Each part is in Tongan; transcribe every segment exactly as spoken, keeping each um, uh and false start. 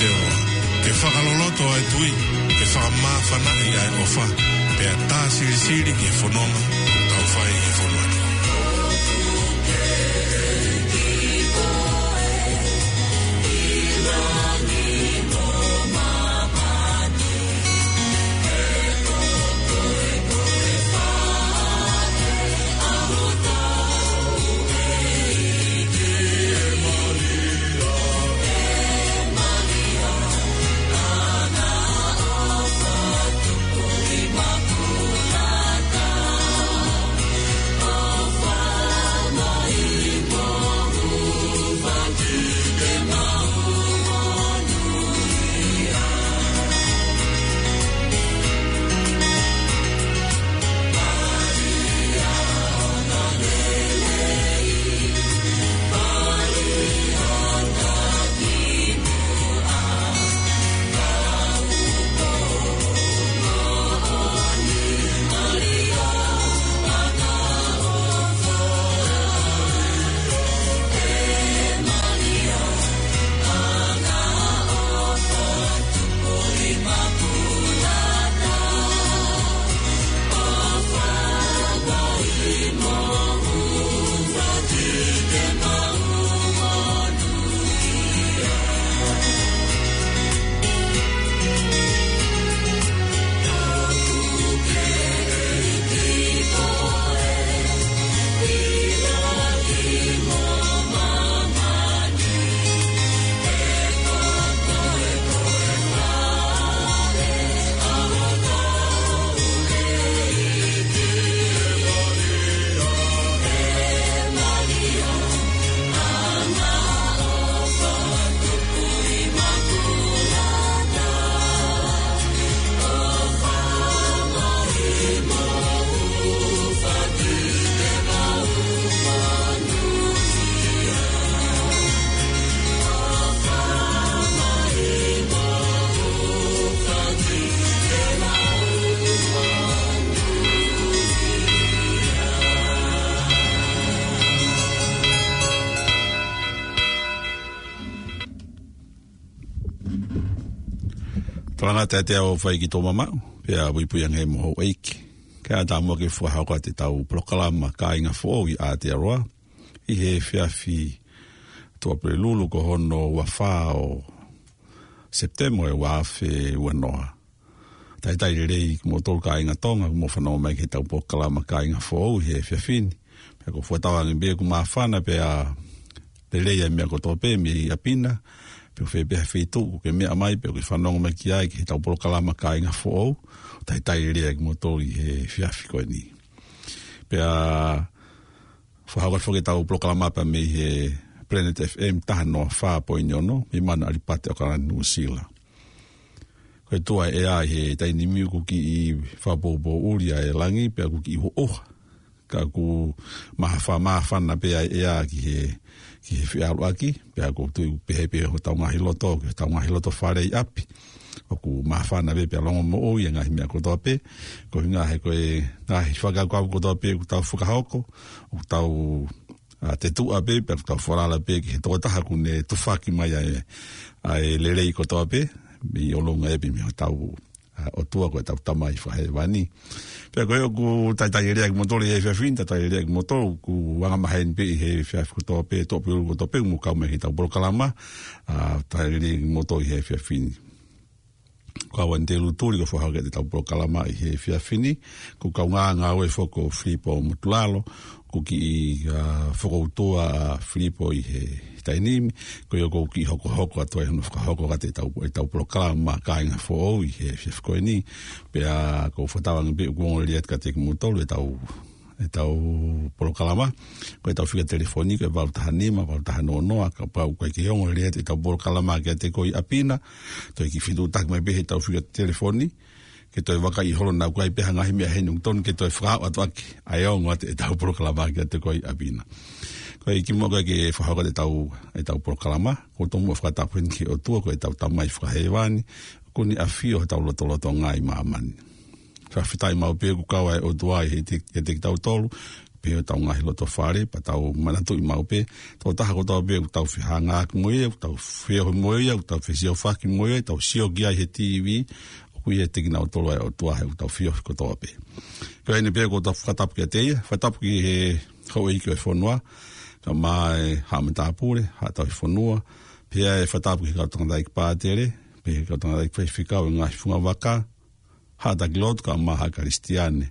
Te o ke fakaloloto ʻa e tui, ke fakamāfanaʻi ʻa e ʻofa, pea tā silisili ki he fononga ʻoku tau fai he fonua ni. Tolanga te te au fai ki tō mamaʻu, pea puipui ange mo houʻeiki. Kae ʻatā muʻa ke fakahoko atu ʻetau polokalama Kāinga Foʻou ʻi Aotearoa, ʻi he efiafi Tuʻapulelulu ko hono ua fā ʻo Sepitema ʻo e ua afe ua noa. Talitali lelei kimoutolu kāinga Tonga, mou fanongo mai ki heʻetau polokalama Kāinga Foʻou he efiafi ni. Pea ʻoku ou fakatauange pē ʻoku māfana pea lelei ʻa e meʻa kotoa pē mei ʻapi na, pe ko fē pē ha feituʻu ʻoku ke meʻa mai, pe ʻoku ke fanongo mai ki ai ki heʻetau polokalama Kāinga Foʻou, talitali lelei kimoutolu ʻi he efiafi ko eni. Pea fakahoko atu foki ʻetau polokalama pea mei he Planet F M taha noa fā poini ono, mei Manu ʻAlipate ʻAokalani Nuʻusila. Ko e tuʻu ʻa e ʻea ʻi he taimi ni ʻoku kiʻi fakapoupouʻi ʻa e langi, pea ʻoku kiʻi ʻuha. Ka ʻoku mahafa-, māfana pē ʻa e ʻea ki he, ki he feʻaluʻaki, pea ʻoku ou tui ʻoku pehē pē hotau ngaahi loto, ki hotau ngaahi loto fale ʻi ʻapi. ʻOku māfana pē pea longomoʻui ʻa e ngaahi meʻa kotoa pē, ko e ʻuhinga he ko e ngaahi fakakaukau kotoa pē ʻoku tau fakahoko, ʻoku tau, ʻa, tetuʻa pē, pea ʻoku tau falala pē ki he tokotaha ʻoku ne tufaki mai ʻa e, ʻa e lelei kotoa pē, mei ʻolunga ʻapi mei hotau, ʻa, ʻOtua ko ʻetau Tamai Fakahēvani. Pea ko ia ʻoku talitali lelei kimoutolu he efiafi ni, talitali lelei kimoutolu, ʻoku angamaheni pē ʻi he efiafi kotoa pē, Tuʻapulelulu kotoa pē, mou kau mai ki heʻetau polokalama, ʻa, talitali lelei kimoutolu he efiafi ni. Ko au eni Telu Tuli ʻoku fakahoko atu ʻetau polokalama ʻi he efiafi ni, ko e kau ngāue foki ko Filipo Motulalo, ʻoku kiʻi, ʻa, fokoutua ʻa Filipo ʻi he taimi ni, ko ia ʻoku ou kiʻi hokohoko atu ai hono fakahoko atu ʻetau, ʻetau polokalama Kāinga Foʻou ʻi he efiafi ko eni, pea ʻoku ou fakatauange pē ʻoku ongo lelei atu kiate kimoutolu ʻetau, ʻetau polokalama, ko ʻetau fika telefoni, ko e valu taha nima, valu taha noa noa, kapau ʻoku ʻikai ke ongo lelei atu ʻetau polokalama kiate koe ʻi ʻapi na, toe kiʻi fetuʻutaki mai pē heʻetau fika telefoni, ke toe vakaiʻi holo naʻa ʻoku ʻi ai pē ha ngaahi meʻa heni ʻoku tonu ke toe fakahoko atu ʻaki, ʻa e ongo atu ʻetau polokalama kiate koe ʻi ʻapi na. Ko ia kimuʻa ko ē ke fakahoko atu ʻetau, ʻetau polokalama, ʻoku ou tomuʻa fakatapu heni ki he ʻOtua ko ʻetau Tamai Fakahēvani, ʻoku ne ʻafio hotau lotolotonga ʻi māmani. Fakafetaʻi maʻu pē ʻoku kau ʻa e ʻOtua ʻiate, ʻiate kitautolu, pehē ʻi hotau ngaahi loto fale, pea tau manatuʻi maʻu pē, tokotaha kotoa pē ʻoku tau fehangahangai mo ia, ʻoku tau feohi mo ia, ʻoku tau fesiofaki mo ia, tau sio ki ai he T V, ʻoku ʻi hotau ngaahi loto ʻa e ʻOtua he ʻoku tau feohi kotoa pē. Ko eni pē ʻoku tau fakatapu kiate ia, fakatapu ki he houʻeiki ʻo e fonua, kae ʻumaʻā e haʻa matāpule, haʻa tauhi fonua, pea ʻe fakatapu ki he kau tangataʻeiki pātele, pea ki he kau tangataʻeiki faifekau ʻo e ngaahi fungavaka, haʻa taki lotu kae ʻumaʻā haʻa Kalisitiane.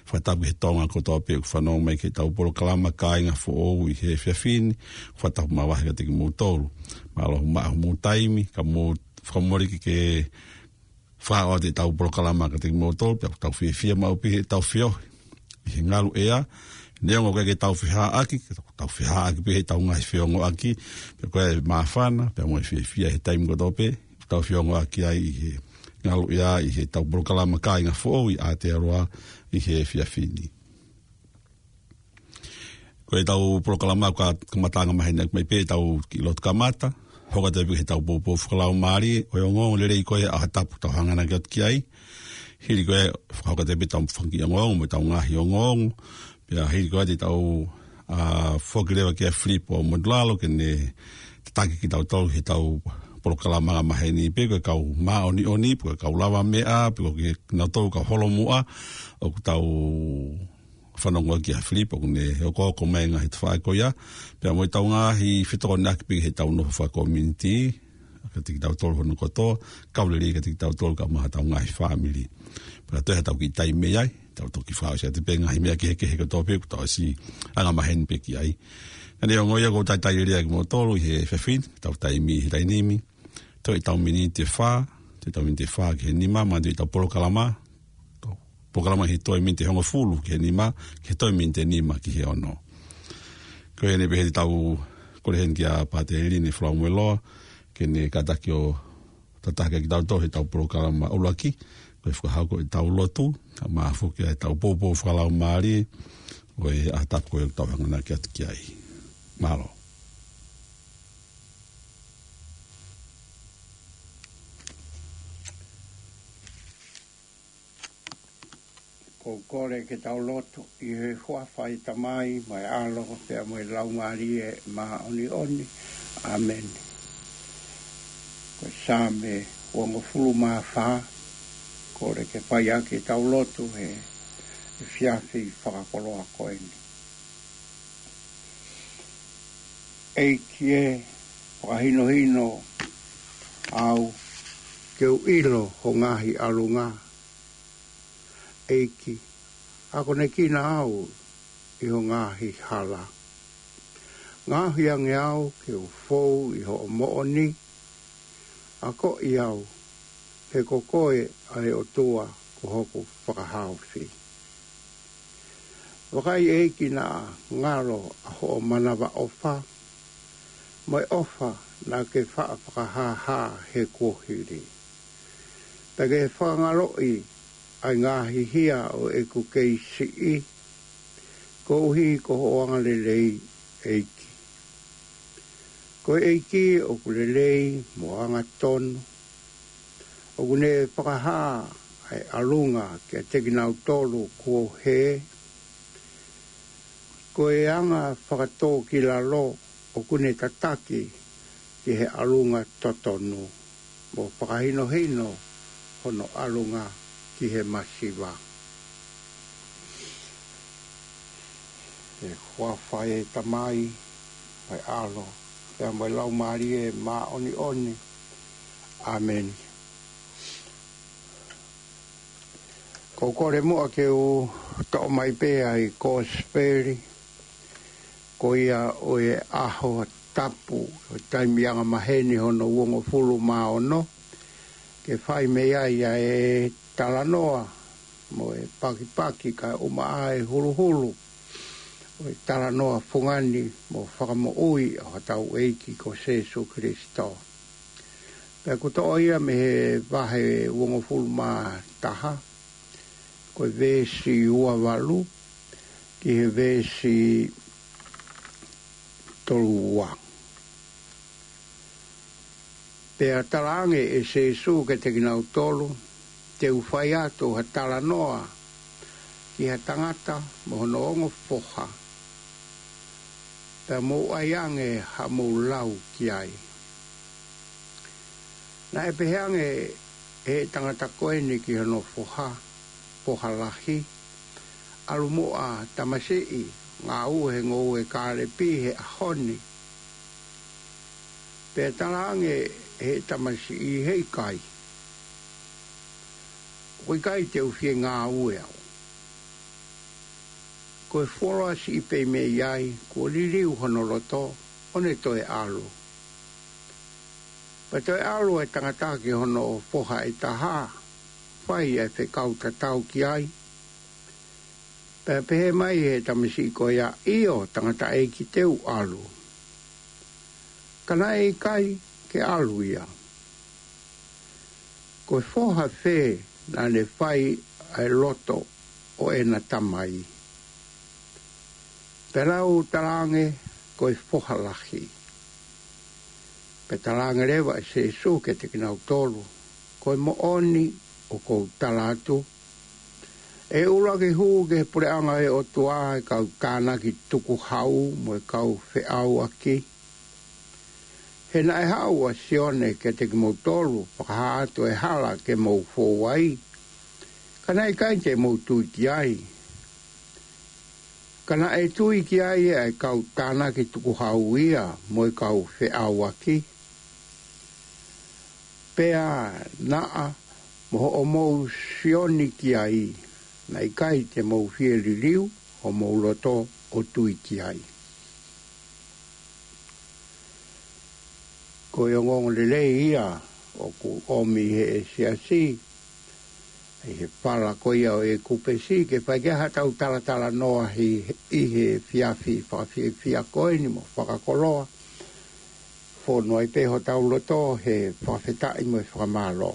Fakatapu ki he Tonga kotoa pē ʻoku fanongo mai ki heʻetau polokalama Kāinga Foʻou ʻi he efiafi ni, fakatapu makehe kiate kimoutolu. Mālō hoʻomou maʻu homou taimi, kae mou fakamoleki ke fakaʻosi ʻetau polokalama kiate kimoutolu, pea ʻoku tau fiefia maʻu pē heʻetau feohi ʻi he ngaluʻea, neongo ʻoku ʻikai ke tau fehāʻaki, ka tau fehāʻaki pē heʻetau ngaahi feongoʻaki, pea ko e māfana, pea mo e fiefia he taimi kotoa pē, tau feongoʻaki ai ʻi he ngaluʻea, ʻi heʻetau polokalama Kāinga Foʻou ʻi Aotearoa ʻi he efiafi ni. Ko ʻetau polokalama ka kamata angamaheni mai pē ʻetau kiʻi lotu kamata, hoko atu pē ki heʻetau poupou fakalaumālie, ʻo e ongoongo lelei ko ia ʻa e ʻaho tapu ʻoku tau hanganaki atu ki ai. Hili ko ia, fakahoko atu pē ʻetau fanga kiʻi ongoongo, mo ʻetau ngaahi ongoongo. Pea hili ko ia te tau, ʻa, foki leva kia Filipo Modulalo ke ne tataki kitautolu heʻetau polokalama angamaheni pē, ko e kau māʻoniʻoni, pe ko e kau lavameʻa, pe ko kinautolu kau holomuʻa, ʻoku tau fanongo ki ai ʻa Filipo, ʻoku ne okooko mai ngaahi tafaʻaki ko ia, pea mo ʻetau ngaahi fetokoniʻaki pē heʻetau nofo fakakominiti, kiate kitautolu hono kotoa, kau lelei kiate kitautolu kae ʻumaʻā hotau ngaahi fāmili. Pea toe haʻatau kiʻi taimi mei ai, tau toki fakaʻosi atu pē ngaahi meʻa kehekehe kotoa pē, ʻoku tau ʻosi angamaheni pē ki ai. Ka neongo ia ʻoku ou talitali lelei kimoutolu ʻi he efiafi ni, tau taimi he taimi ni, toe ʻetau miniti ʻe fā, toe ʻetau miniti ʻe fā ki he nima, manatuʻi ʻetau polokalama, polokalama he toe miniti ʻe hongofulu ki he nima, ki he toe miniti ʻe nima ki he ono. Ko eni pē heʻetau kole heni kia Pātele Line Falaumueloa, ke ne kātaki ʻo tataki kitautolu heʻetau polokalama ʻuluaki, ko e fakahoko ʻetau lotu, kae ʻumaʻā foki ʻetau poupou fakalaumālie, ʻo e ʻaho tapu ko ia ʻoku tau hanganaki atu ki ai. Mālō. Ko e kole ke tau lotu. ʻI he huafa ʻo e Tamai, mo e ʻAlo, pea mo e Laumālie Māʻoniʻoni. ʻĀmeni. Ko e Saame uongofulu mā fā, kole ke fai ʻaki ʻetau lotu he efiafi fakakoloa ko eni. ʻEiki ē, fakahinohino au ke u ʻilo ho ngaahi ʻalunga. ʻEiki, akonekina au ʻi ho ngaahi hala. Ngaohi ange au ke u fou ʻi hoʻo moʻoni. Akoʻi au, he ko koe ʻa e ʻOtua ko hoku fakahaofi. Vakai ʻEiki naʻa ngalo ʻa hoʻo manavaʻofa, mo e ʻofa naʻa ke faʻa fakahāhā he kuohili. Pea ke fakangaloʻi ʻa e ngaahi hia ʻo ʻeku kei siʻi, koeʻuhi ko hoʻo angalelei ʻEiki. Ko e ʻEiki ʻoku lelei mo angatonu, ʻoku ne fakahā ʻa e ʻalunga kiate kinautolu kuo hē. Ko e anga fakatōkilalo ʻoku ne tataki ki he ʻalunga totonu, mo fakahinohino hono ʻalunga ki he masiva. ʻI he huafa ʻo e Tamai, mo e ʻAlo, pea mo e Laumālie Māʻoniʻoni. ʻĀmeni. Ko e kole muʻa ke u toʻo mai pē ʻa e kosipeli ko ia ʻo e ʻaho tapu, ʻo e taimi angamaheni hono uongofulu mā ono, ke fai mei ai ʻa e talanoa mo e pakipaki kae ʻumaʻā e huluhulu ʻo e talanoa fungani mo fakamoʻui ʻa hotau ʻEiki ko Sīsū Kalaisi. Pea ʻoku toʻo ia mei he vahe uongofulu mā taha, ko e veesi ua valu ki he veesi tolu ua. Pea talaange ʻe Sīsū kiate kinautolu, te u fai atu ha talanoa ki ha tangata mo hono ongo foha, pea mou ʻai ange haʻamou lau ki ai. Naʻe pehē ange ʻe he tangata ko eni ki hono foha, foha lahi, ʻAlu muʻa tamasiʻi, ngāue he ngoue kālepi he ʻaho ni. Pea talaange ʻe he tamasiʻi, He ʻikai, ʻoku ʻikai te u fie ngāue au. Ko e fuoloa siʻi pē mei ai, kuo liliu hono loto, ʻo ne toe ʻalu. Pea toe ʻalu e tangata ki hono foha ʻe taha, fai e fekau tatau ki ai. Pea pehē mai ʻe he tamasiʻi ko ia, ʻIo, tangataʻeiki, te u ʻalu. Ka naʻe ʻikai ke ʻalu ia. Ko e foha fē naʻa ne fai ʻa e loto ʻo ʻena tamai? Pea nau talaange, Ko e foha lahi. Pea talaange leva ʻe Sīsū kiate kinautolu, Ko e moʻoni ʻoku ou tala atu, ʻe ʻuluaki hū ki he puleʻanga ʻo e ʻOtua ʻa e kau tānaki tukuhau mo e kau feʻauaki. He naʻe haʻu ʻa Sione kiate kimoutolu, fakahā atu e hala ke mou fou ai, ka naʻe ʻikai te mou tui ki ai. Ka naʻe tui ki ai ʻa e kau tānaki tukuhau ia mo e kau feʻauaki. Pea naʻa mo hoʻomou Sione ki ai, naʻe ʻikai te mou fie liliu homou loto ʻo tui ki ai. Ko e ongoongolelei ia ʻoku ʻomi ʻe he siasi ʻi he fala ko ia ʻo e kupesi, ke fai ki ai haʻatau talatalanoa ʻi, ʻi he efiafi fakafiefia ko eni mo fakakoloa. Fonu ai pē hotau loto he fakafetaʻi mo e fakamālō.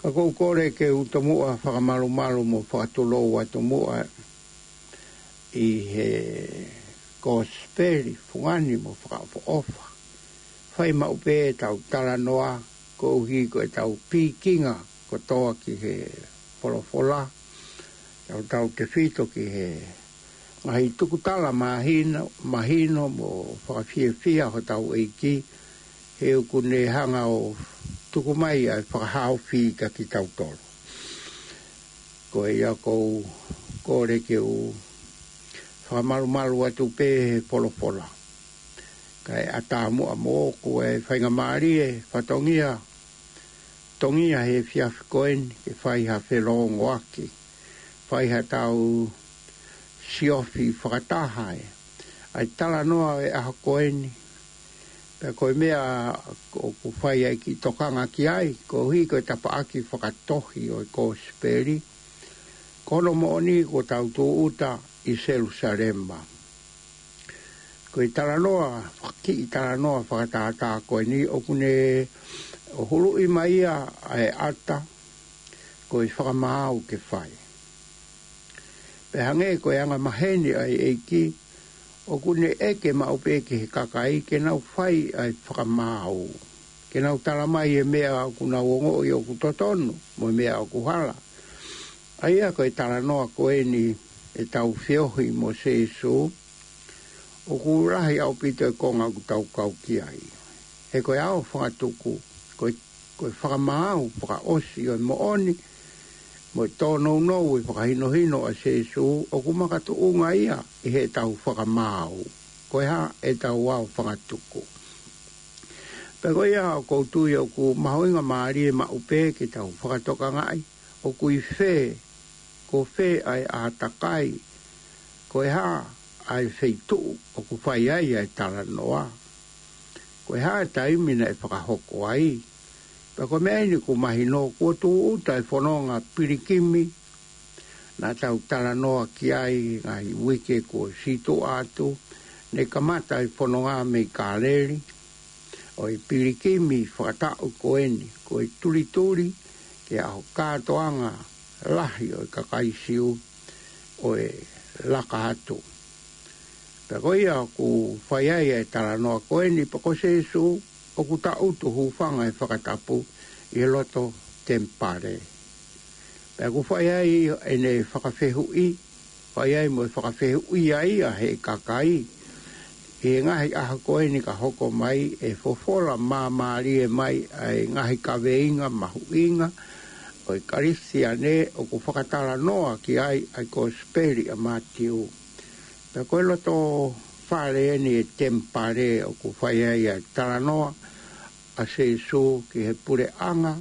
Ka ʻoku ou kole ke u tomuʻa fakamalumalu mo fakatulou atu muʻa ʻi he kosipeli fungani mo fakaʻofoʻofa. Fai maʻu pē ʻetau talanoa koeʻuhi ko ʻetau pikinga kotoa ki he folofola. Tau, tautefito ki he ngaahi tukutala mahino, mahino mo fakafiefia hotau ʻEiki, he ʻoku ne hanga ʻo tuku mai ʻa e fakahaofi kiate kitautolu. Ko ia ʻoku ou kole ke u fakamalumalu atu pē he folofola. Kae ʻatā muʻa moʻoku e faingamālie, fatongia, tongia he efiafi ko eni ke fai ha felōngoaki, fai haʻatau siofi fakataha ʻa e, ʻa e talanoa ʻo e ʻaho ko eni. Pea ko e meʻa ʻoku fai ai e kiʻi tokanga ki ai, koeʻuhi ko e tapaʻaki fakatohi ʻo e kosipeli. Ko hono moʻoni kuo tau tūʻuta ʻi Selusalema. Ko e talanoa, kiʻi talanoa fakatātā ko eni ʻoku ne ʻo huluʻi mai ia ʻa e ʻata, ko e fakamaau ke fai. Pea hangē ko e angamaheni ʻa e ʻEiki, ʻoku ne ʻeke maʻu pē ki he kakai ke nau fai ʻa e fakamaau, ke nau tala mai e meʻa ʻoku nau ongoʻi ʻoku totonu, mo e meʻa ʻoku hala. ʻA ia ko e talanoa ko eni ʻetau feohi mo Sīsū, ʻoku lahi ʻaupito e konga ʻoku tau kau ki ai. He ko e ʻao fakatuku, ko e, ko e fakamaau fakaʻosi ʻo e moʻoni, mo e tōnounou e fakahinohino ʻa Sīsū, ʻoku makatuʻunga ia ʻi heʻetau fakamaau. Ko e hā ʻetau ʻao fakatuku? Pea ko ia ʻoku ou tui ʻoku mahuʻinga mālie maʻu pē ke tau fakatokangaʻi, ʻoku ʻi fē, ko fē ʻa e ʻātakai, ko e hā ʻa e feituʻu ʻoku fai ai ʻa e talanoa. Ko e hā e taimi naʻe fakahoko ai. Pea ko e meʻa eni ʻoku mahino, kuo tūʻuta e fononga pilikimi, naʻa tau talanoa ki ai ngaahi uike kuo sītuʻa atu, ne kamata e fononga mei Kāleli, ʻo e pilikimi fakataʻu ko eni, ko e tulituli ki he ʻaho kātoanga lahi ʻo e kakai Siu ʻo e laka atu. Pea ko ia ʻoku fai ai e talanoa ko eni, pea ko Sīsū ʻoku tangutu hūfanga he fakatapu ʻi he loto temipale. Pea ʻoku fai ai ʻene fakafehuʻi, fai ai mo e fakafehuʻi ai ʻa e kakai. ʻI he ngaahi ʻaho ko eni ka hoko mai ʻe fofola māmālie mai ʻa e ngaahi kaveinga mahuʻinga ʻo e Kalisitiane ʻoku fakatalanoa ki ai ʻa e Kosipeli ʻa Mātiu. Pea ko e loto fale eni e temipale ʻoku fai ai ʻa e talanoa ʻa Sīsū ki he puleʻanga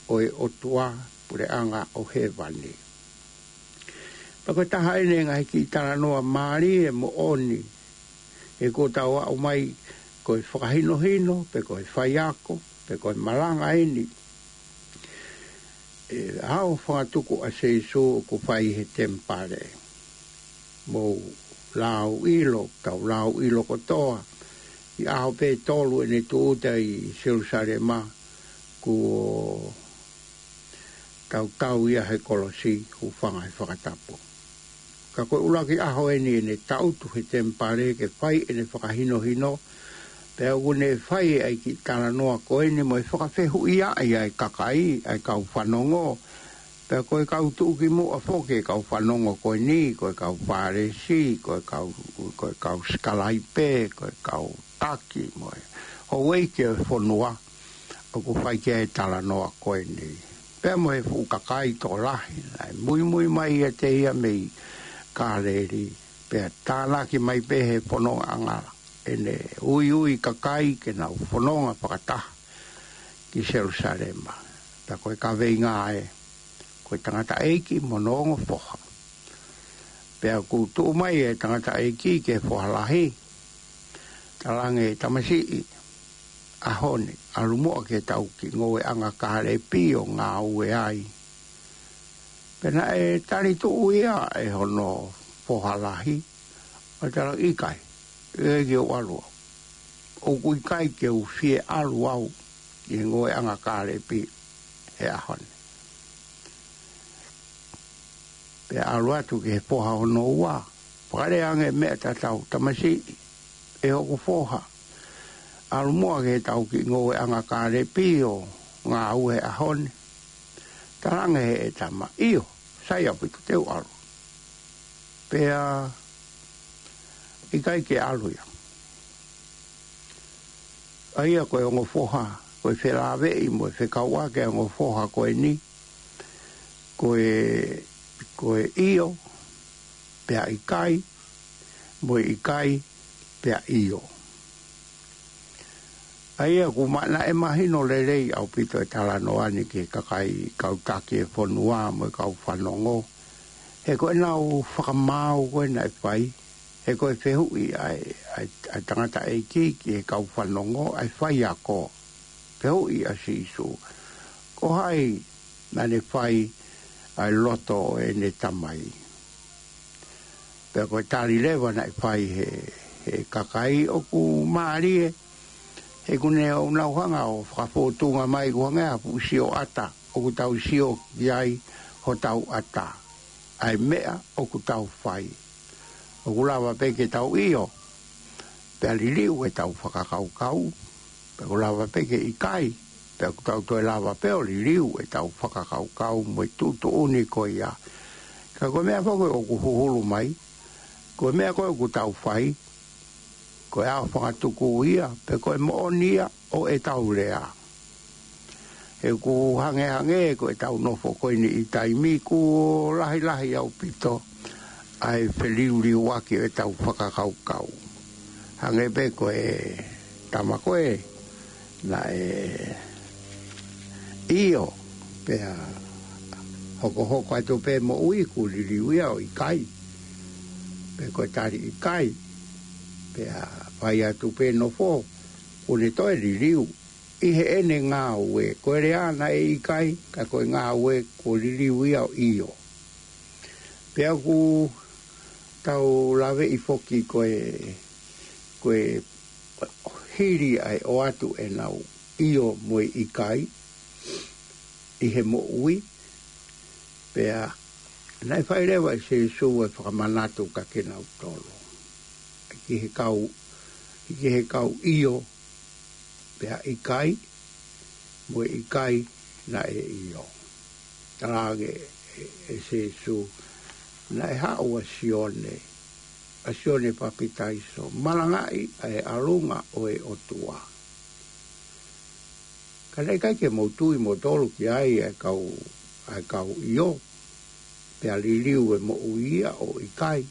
ʻo e ʻOtua, puleʻanga ʻo hēvani. Pea ko e taha eni e ngaahi kiʻi talanoa mālie moʻoni, he kuo tau aʻu mai ko e fakahinohino, pe ko e faiako, pe ko e malanga eni ʻa e ʻaho fakatuku ʻa Sīsū ʻoku fai he temipale. Mou lau ʻilo, tau lau ʻilo kotoa, ʻi he ʻaho pē tolu ʻene tūʻuta ʻi Selusalema, kuo tautau ia he kolosi, hūfanga he fakatapu. Ka ko e ʻuluaki ʻaho eni ʻene tangutu he temipale ke fai ʻene fakahinohino, pea ʻoku ne fai ai e kiʻi talanoa ko eni mo e fakafehuʻi ʻa e kakai, ʻa e kau fanongo. Pea ko e kau tuʻukimuʻa foki e kau fanongo ko eni, ko e kau Fālesi, ko e kau, ko e kau sikalaipe, ko e kau taki mo e houʻeiki ʻo e fonua ʻoku fai ki ai e talanoa ko eni. Pea mo e fuʻu kakai tokolahi, naʻe muimui mai ʻiate ia mei Kāleli, pea tānaki mai pē he fonongaʻanga ʻene uiui kakai ke nau fononga fakataha ki Selusalema. Pea ko e kaveinga ē, ko e tangataʻeiki mo hono ongo foha. Pea ʻoku tuʻu mai e tangataʻeiki ki he foha lahi, talaange, tamasiʻi, ʻaho ni, ʻalu muʻa ki heʻetau kiʻi ngoueʻanga kālepi ʻo ngāue ai. Pea naʻe tali tuʻu ia ʻe hono foha lahi, ʻo talaange, ʻikai, ʻikai ke u ʻalu au. ʻOku ʻikai ke u fie ʻalu au ki he ngoueʻanga kālepi he ʻaho ni. Pea ʻalu atu ki he foha hono ua, fakalea ange e meʻa tatau, tamasiʻi, ʻe hoku foha, ʻalu muʻa ki heʻetau kiʻi ngoueʻanga kālepi ʻo ngāue he ʻaho ni. Talaange ʻe he tama, ʻio, sai ʻaupito, te u ʻalu. Pea ʻikai ke ʻalu ia. ʻA ia ko e ongo foha, ko e felāveʻi mo e fekauʻaki ʻa e ongo foha ko eni, ko e, ko e ʻio, pea ʻikai, mo e ʻikai, pea ʻio. ʻA ia ʻoku ma-, naʻe mahino lelei ʻaupito e talanoa ni ki he kakai kau taki e fonua mo e kau fanongo. He ko ʻenau fakamaau ko ē naʻe fai, he ko e fehuʻi ʻa e, ʻa e, ʻa e tangataʻeiki ki he kau fanongo, ʻa e faiako. Fehuʻi ʻa Sīsū, ko hai naʻa ne fai ʻa e loto ʻo ʻene tamai? Pea ko e tali leva naʻe fai he, he kakai ʻoku mālie, he ʻoku ne ʻoku nau hanga ʻo fakafōtunga mai ʻoku hangē ha fuʻu sioʻata ʻoku tau sio ki ai hotau ʻata, ʻa e meʻa ʻoku tau fai. ʻOku lava pē ke tau ʻio, pea liliu ʻetau fakakaukau, pea ʻoku lava pē ke ʻikai, pea ʻoku tau toe lava pē ʻo liliu ʻetau fakakaukau mo e tuʻutuʻuni ko ia. Ka ko e meʻa foki ʻoku huhulu mai, ko e meʻa ko ē ʻoku tau fai, ko e ʻaho fakatuku ia, pe ko e moʻoni ia ʻo ʻetau lea. He ʻoku hangehangē ko ʻetau nofo ko eni ʻi taimi kuo lahilahi ʻaupito ʻa e feliuliuaki ʻo ʻetau fakakaukau. Hangē pē ko e tama ko ē naʻe ʻio, pea hokohoko atu pē moʻui kuo liliu ia ʻo ʻikai. Pe ko e tali ʻikai, pea fai atu pē nofo, kuo ne toe liliu ʻi heʻene ngāue. Ko e lea naʻe ʻikai, ka ko e ngāue kuo liliu ia ʻo ʻio. Pea ʻoku tau laveʻi foki ko e, ko e hili ʻa e ʻoatu ʻenau ʻio mo e ʻikai ʻi he moʻui, pea naʻe fai leva ʻe Sīsū e fakamanatu kiate kinautolu. Ki he kau, ki he kau ʻio, pea ʻikai, mo e ʻikai naʻe ʻio. Talaange ʻe Sēsū, naʻe haʻu ʻa Sione, ʻa Sione Papitaiso, malangaʻi ʻa e ʻalunga ʻo e ʻOtua. Ka naʻe ʻikai ke mou tui moutolu ki ai ʻa e kau, ʻa e kau ʻio, pea liliu e moʻui ia ʻo ʻikai.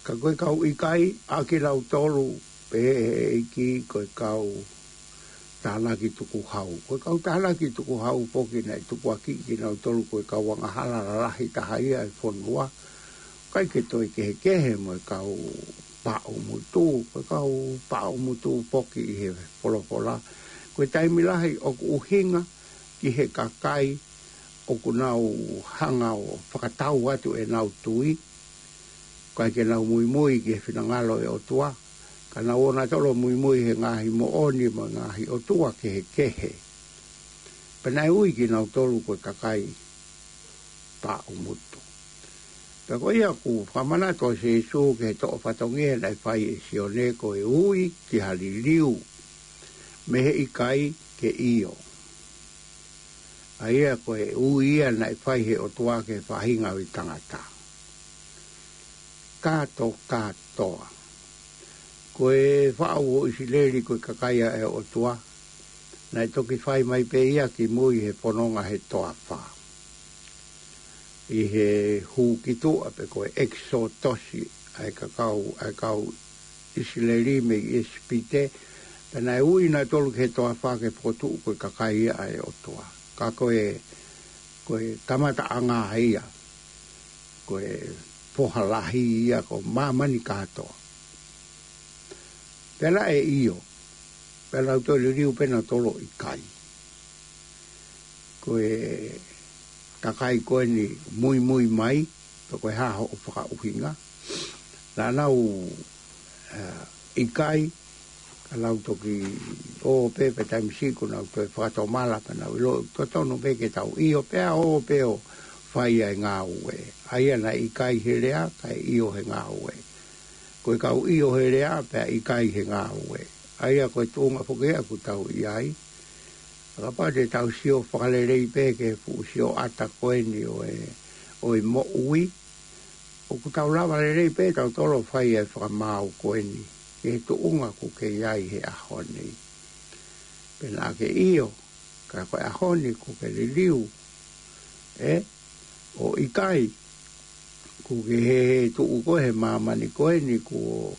Ka ko e kau ʻikai, ʻa kinautolu, pehē ʻe he ʻEiki ko e kau tānaki tukuhau. Ko e kau tānaki tukuhau foki naʻe tukuakiʻi kinautolu ko e kau angahala lalahi taha ia ʻo e fonua. ʻIkai ke toe kehekehe mo e kau paʻumutu, ko e kau paʻumutu foki ʻi he folofola. Ko e taimi lahi ʻoku ʻuhinga ki he kakai ʻoku nau hanga ʻo fakatau atu ʻenau tui, ʻikai ke nau muimui ki he finangalo ʻo e ʻOtua, ka nau ō nautolu ʻo muimui he ngaahi moʻoni mo e ngaahi ʻotua kehekehe. Pea naʻe ui kinautolu ko e kakai paʻumutu. Pea ko ia ʻoku fakamanatu ʻa Sēsū ki he toʻo fatongia naʻe fai ʻe Sione ko e ui ki ha liliu mei he ʻikai ke ʻio. ʻA ia ko e ui ia naʻe fai he ʻOtua ki he faʻahinga ʻo e tangata. Kāto, kātoa. Ko e faʻu ʻo ʻIsileli ko e kakai ʻa e ʻOtua, naʻe toki fai mai pē ia ki mui he fononga he toafa. ʻI he hū ki tuʻa pe ko e ʻekisōtosi ʻa e kakai, ʻa e kau ʻIsileli mei ʻIsipite, pea naʻe ui nautolu ki he toafa ke fokotuʻu ko e kakai ia ʻa e ʻOtua. Ka ko e, ko e kamataʻanga ia, ko e foha lahi ia ko māmani kātoa. Pea naʻe ʻio, pea nau toe liliu pē nautolu ʻo ʻikai. Ko e kakai ko eni muimui mai, pe ko e hā hoʻo fakaʻuhinga. Naʻa nau, eh, ʻikai, ka nau toki ō pē, pea taimi siʻi kuo nau toe fakatomala, pea nau ʻilo totonu pē ke tau ʻio, pea ō pē ʻo fai ʻa e ngāue. ʻA ia naʻe ʻikai he lea, kae ʻio he ngāue. Ko e kau ʻio he lea, pea ʻikai he ngāue. ʻA ia ko e tuʻunga foki ia ʻoku tau ʻi ai. Kapau te tau sio fakalelei pē ki he fuʻu sioʻata ko eni ʻo e, ʻo e moʻui, ʻoku tau lava lelei pē tautolu ʻo fai ʻa e fakamaau ko eni ki he tuʻunga ʻoku ke ʻi ai he ʻaho ni. Pea naʻa ke ʻio, ka ko e ʻaho ni ʻoku ke liliu, ē, ʻo ʻikai, ʻoku ke hē, hē tuʻu koe he māmani ko eni kuo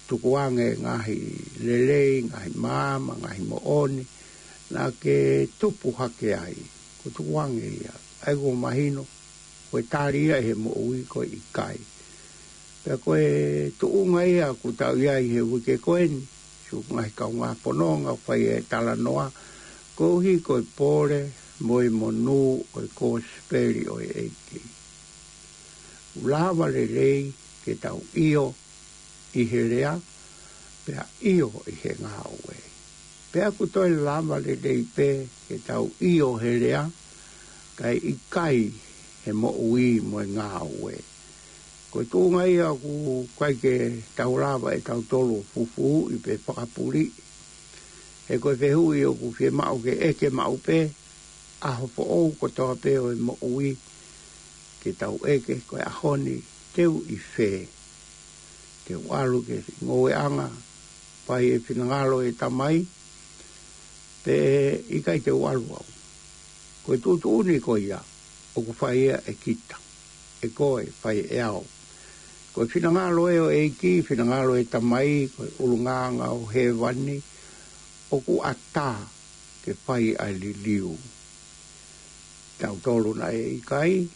tukuange ngaahi lelei, ngaahi maama, ngaahi moʻoni, naʻa ke tupu hake ai, kuo tukuange ia. ʻA ia kuo mahino, ko e tali ia he moʻui ko e ʻikai. Pea ko e tuʻunga ia ʻoku tau ʻi ai he uike ko eni, siʻoku ngaahi kaungā fononga ʻoku fai e talanoa, koeʻuhi ko e pole mo e monū ʻo e kosipeli ʻo e ʻEiki. ʻOku lava lelei ke tau ʻio ʻi he lea, pea ʻio ʻi he ngāue. Pea ʻoku toe lava lelei pē ke tau ʻio he lea, kae ʻikai he moʻui mo e ngāue. Ko e tuʻunga ia ʻoku ʻikai ke tau lava ʻe tautolu ʻo fufuuʻi pe fakapuliʻi. He ko e fehuʻi ʻoku fiemaʻu ke ʻeke maʻu pē, ʻaho foʻou kotoa pē ʻo e moʻui, ke tau ʻeke ko e ʻaho ni te u ʻi fē. Te u ʻalu ki he ngoueʻanga, fai e finangalo e Tamai, pe ʻikai te u ʻalu au. Ko e tuʻutuʻuni ko ia, ʻoku fai ia ʻe kita, ʻe koe, fai ʻe au. Ko e finangalo ē ʻo e ʻEiki, finangalo e Tamai, ko e ʻulungaanga ʻo hēvani, ʻoku ʻatā ke fai ʻa e liliu. Tautolu naʻe ʻikai,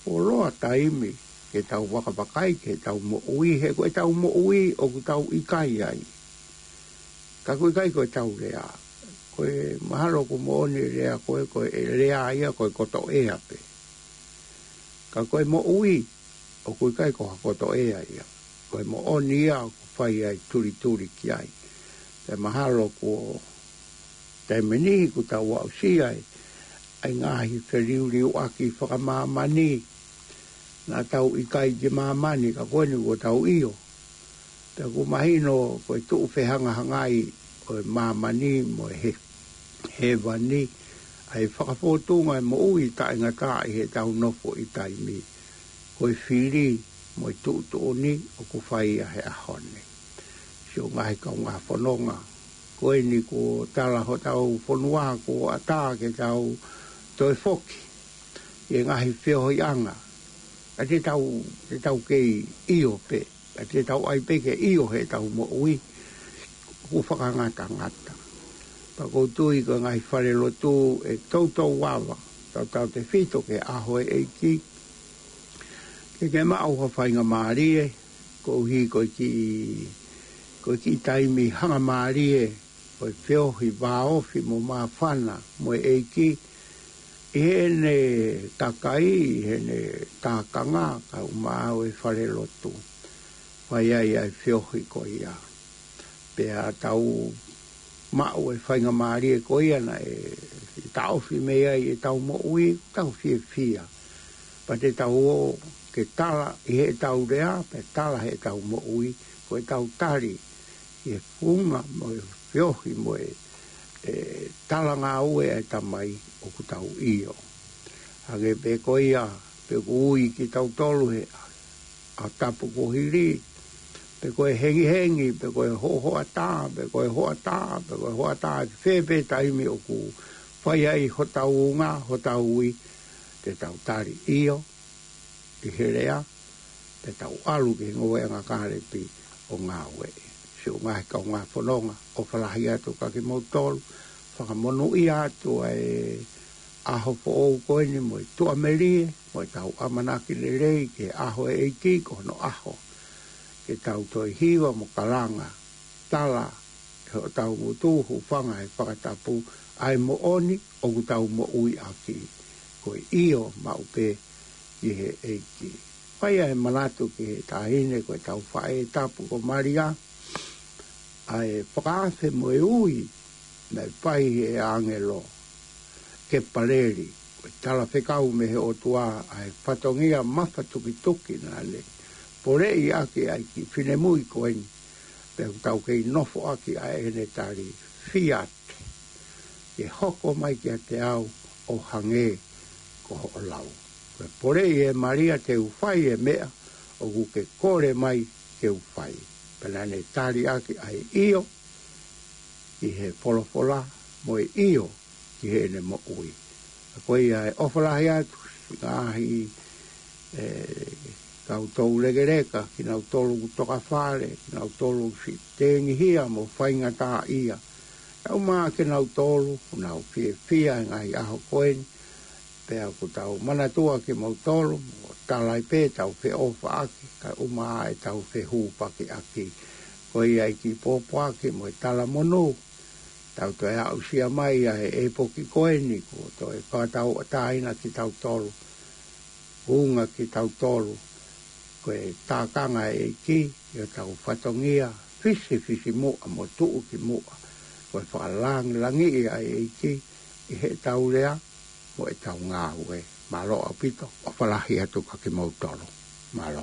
fuoloa taimi ke tau vakavakai ke tau moʻui, he ko e tau moʻui ʻoku tau ʻikai ai. Ka ʻoku ʻikai ko e tau lea. Ko e mahalo ʻoku moʻoni e lea ko e, ko e lea ia ko e kotoʻea pē. Ka ko e moʻui, ʻoku ʻikai ko ha kotoʻea ia. Ko e moʻoni ia ʻoku fai ai tulituli ki ai. Pea mahalo kuo taimi niʻihi ʻoku tau aʻusia ai ʻa e ngaahi feliuliuaki fakamāmani. Naʻa tau ʻikai ki māmani ka ko eni kuo tau ʻio. Pea ʻoku mahino ko e tuʻu fehangahangai ʻo e māmani mo e he, hēvani. ʻa e fakafōtunga ʻo e moʻui taʻengata ʻi heʻetau nofo ʻi taimi. Ko e fili mo e tuʻutuʻuni ʻoku fai ʻi he ʻaho ni. Siʻo ngaahi kaungā fononga, ko eni kuo tala hotau fonua kuo ʻatā ke tau toe foki ʻi he ngaahi feohiʻanga. ʻA te tau, te tau kei ʻio pē, ʻa te tau ʻai pē ke ʻio heʻetau moʻui, ʻoku fakangatangata. Pea ʻoku ou tui ko e ngaahi falelotu ʻe toutou ava, tautautefito ki he ʻaho ʻo e ʻEiki, ke ke maʻu ha faingamālie, koeʻuhi ko e kiʻi, ko e kiʻi taimi hangamālie, ko e feohi vāofi mo māfana mo e ʻEiki, ʻi heʻene kakai, ʻi heʻene tākanga, kae ʻumaʻā ʻa e falelotu. Fai ai ʻa e feohi ko ia. Pea tau maʻu e faingamālie ko ia naʻe taʻofi mei ai ʻetau moʻui, tau fiefia. Pea te tau ō ke tala ʻi heʻetau lea, pea tala heʻetau moʻui, ko ʻetau tali ʻi he funga mo e feohi mo e, e talangāue ʻa e Tamai ʻoku tau ʻio. Hangē pē ko ia, pe ʻoku ui kitautolu he ʻaho tapu kuo hili, pe ko e hengihengi, pe ko e hohoʻatā, pe ko e hoʻatā, pe ko e hoʻatā, ʻi fē pē taimi ʻoku fai ai hotau unga, hotau ui, te tau tali ʻio ʻi he lea, te tau ʻalu ki he ngoueʻanga kālepi ʻo ngāueʻi. Siʻo ngaahi kaungā fononga, ʻofa lahi atu kiate kimoutolu, fakamonūʻia atu ʻa e ʻaho foʻou ko eni mo e tuʻamelie, mo ʻetau ʻamanaki lelei ki he ʻaho ʻo e ʻEiki ko hono ʻaho. Ke tau toe hiva mo kalanga, tala ʻe hotau ngutu, hūfanga he fakatapu, ʻa e moʻoni ʻoku tau moʻui ʻaki, ko e ʻio maʻu pē ki he ʻEiki. Fai ʻa e manatu ki he taʻahine ko ʻetau faʻē tapu ko Malia, ʻa e fakaafe mo e ui naʻe fai he ʻāngelo Kepaleli, ko e talafekau mei he ʻOtua ʻa e fatongia mafatukituki naʻa ne poleʻi ʻaki ʻa e kiʻi finemui ko eni, pea ʻoku tau kei nofo ʻaki ʻa ʻene tali, Fiat, ke hoko mai kiate au ʻo hangē ko hoʻo lau. Ko e poleʻi ʻe Malia te u fai e meʻa ʻoku ke kole mai ke u fai. Pea naʻa ne tali ʻaki ʻa e ʻio ki he folofola mo e ʻio ki heʻene moʻui. Ko ia e ʻofa lahi atu, ngaahi, e, kau toulekeleka, kinautolu ʻoku tokafale, kinautolu ʻoku siʻi tengihia mo faingataʻaʻia. Kae ʻumaʻā kinautolu ʻoku nau fiefia he ngaahi ʻaho ko eni, pea ʻoku tau manatua kimoutolu, mo tala ai pē ʻetau feʻofaʻaki, kae ʻumaʻā ʻetau fehūfakiʻaki. Ko ia e kiʻi pōpoaki mo e talamonū, tau toe aʻusia mai ʻa e ʻepoki ko eni, kuo toe fakatauʻatāina kitautolu, unga kitautolu, ko e tākanga ʻa e ʻEiki ʻi hotau fatongia, fisifisimuʻa mo tuʻukimuʻa, ko e fakalangilangiʻi ʻa e ʻEiki ʻi heʻetau lea mo ʻetau ngāue. Mālō ʻaupito, ʻofa lahi atu kiate kimoutolu. Mālō.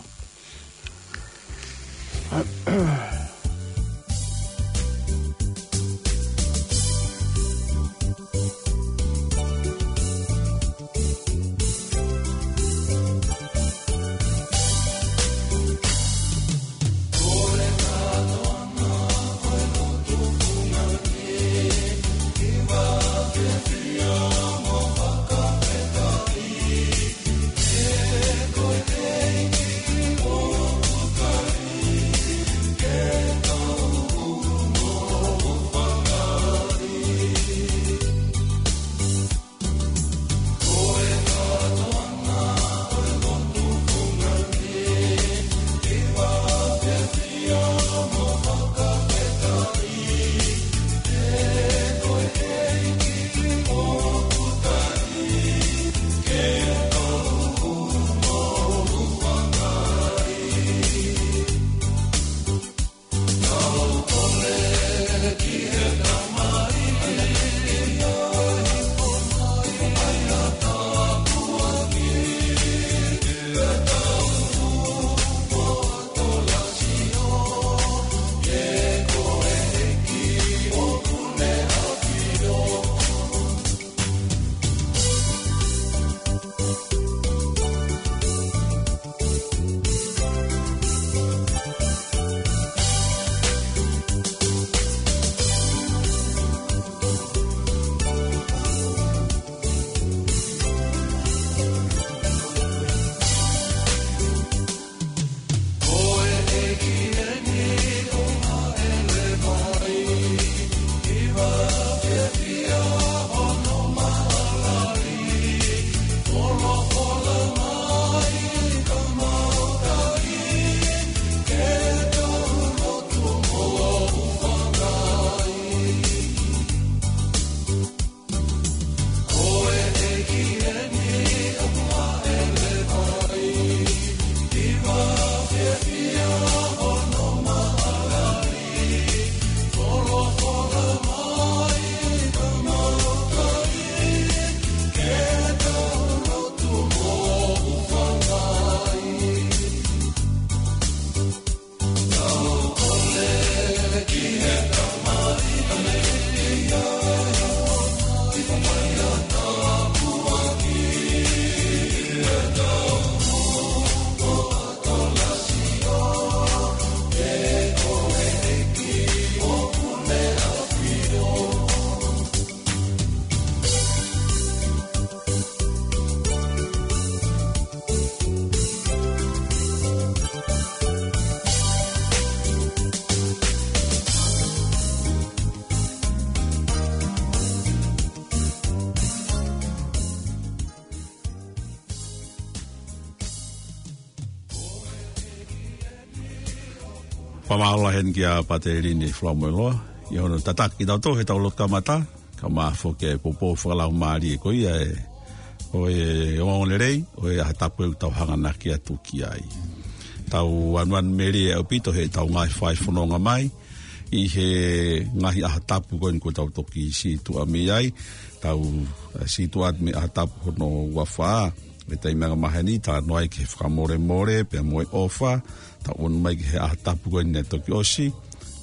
Fakamālō heni kia Pāteli Nifula Moeloa ʻi hono tataki kitautolu he tau lotu kamata, kae ʻumaʻā foki e poupou fakalaumālie ko ia ʻo e ongoongolelei ʻo e ʻaho tapu ʻoku tau hanganaki atu ki ai. Tau ʻanuʻanu melie ʻaupito he tau ngaahi fai fononga mai ʻi he ngaahi ʻaho tapu ko eni kuo tau toki situʻa mei ai. Tau, eh, situʻa atu mei he ʻaho tapu hono ua fā, mei he taimi anga maheni, talanoa ai ki he fakamolemole pea mo e ʻofa. Tau ʻunu mai ki he ʻaho tapu ko eni naʻe toki ʻosi,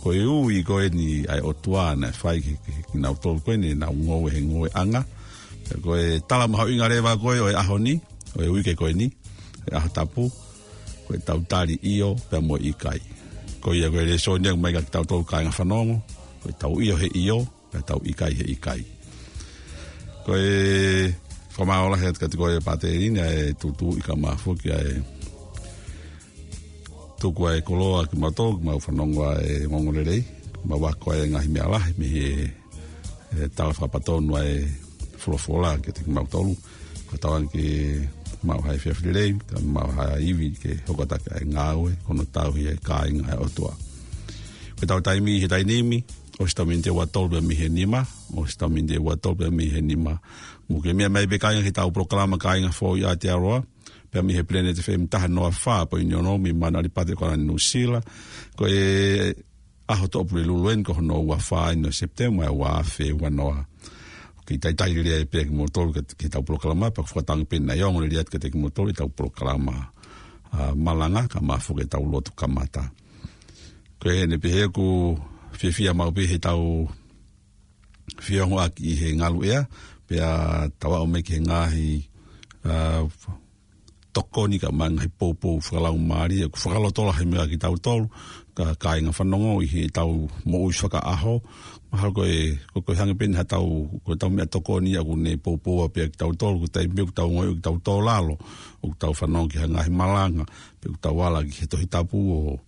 ko e ui ko eni ʻa e ʻOtua naʻe fai ki, ki, kinautolu ko eni naʻa nau ngoue he ngoueʻanga. Pea ko e tala mahuʻinga leva ko ē ʻo e ʻaho ni, ʻo e uike ko eni, e ʻaho tapu, ko e tau tali ʻio pea mo e ʻikai. Ko ia ko e lēsoni ʻoku ʻomai kia kitautolu kāinga fanongo, ko e tau ʻio he ʻio, pea tau ʻikai he ʻikai. Ko e fakamālō lahi atu kiate koe Pāteli Nifula, e tuʻutuʻuni kae ʻumaʻā foki ʻa e tuku ʻa e koloa kimautolu, mau fanongo ʻa e ongoongolelei, mau ako ʻa e ngaahi meʻa lahi mei he, e, tala fakapatonu ʻa e folofola kiate kimautolu. Ko e tauange ke mau ʻi he efiafi lelei, kae mau ʻi he ivi ke hoko atu ʻa e ngāue, ko hono tauhi ʻa e kāinga ʻa e ʻOtua. Ko e tau taimi he taimi ni, ʻosi tau miniti ʻe ua tolu pea mei he nima, ʻosi tau miniti ʻe ua tolu pea mei he nima. Mou ke meʻa mai pē kāinga ki he tau polokalama Kāinga Foʻou ʻi Aotearoa, pea mei he Planet F M taha noa fā poini ono mei Manu ʻAlipate ʻAokalani Nuʻusila. Ko e ʻaho Tuʻapulelulu eni ko hono ua fā eni ʻo Sepitema ʻo e ua afe ua noa. Ke talitali lelei pē kimoutolu ki he, ki he tau polokalama, pea ʻoku fakatauange pē naʻe ongo lelei atu kiate kimoutolu e tau polokalama, ā, malanga, kae ʻumaʻā foki e tau lotu kamata. Ko eni pē he ʻoku fiefia maʻu pē he tau fie ongoʻaki ʻi he ngaluʻea, pea tau aʻu mai ki he ngaahi, ā, tokoni kae ʻumaʻā e ngaahi poupou fakalaumālie, ʻoku fakalotolahi mai kiate kitautolu, kā, kāinga fanongo ʻi he tau moʻui fakaʻaho. Mahalo ko e, ko, ko e hangē pē eni ha tau, ko e tau meʻatokoni ia ʻoku ne poupou pē kiate kitautolu, ko e taimi pē ʻoku tau ongoʻi ʻoku tau tō lalo, ʻoku tau fanongo ki ha ngaahi malanga, pe ʻoku tau ala ki he Tohi Tapu ʻo,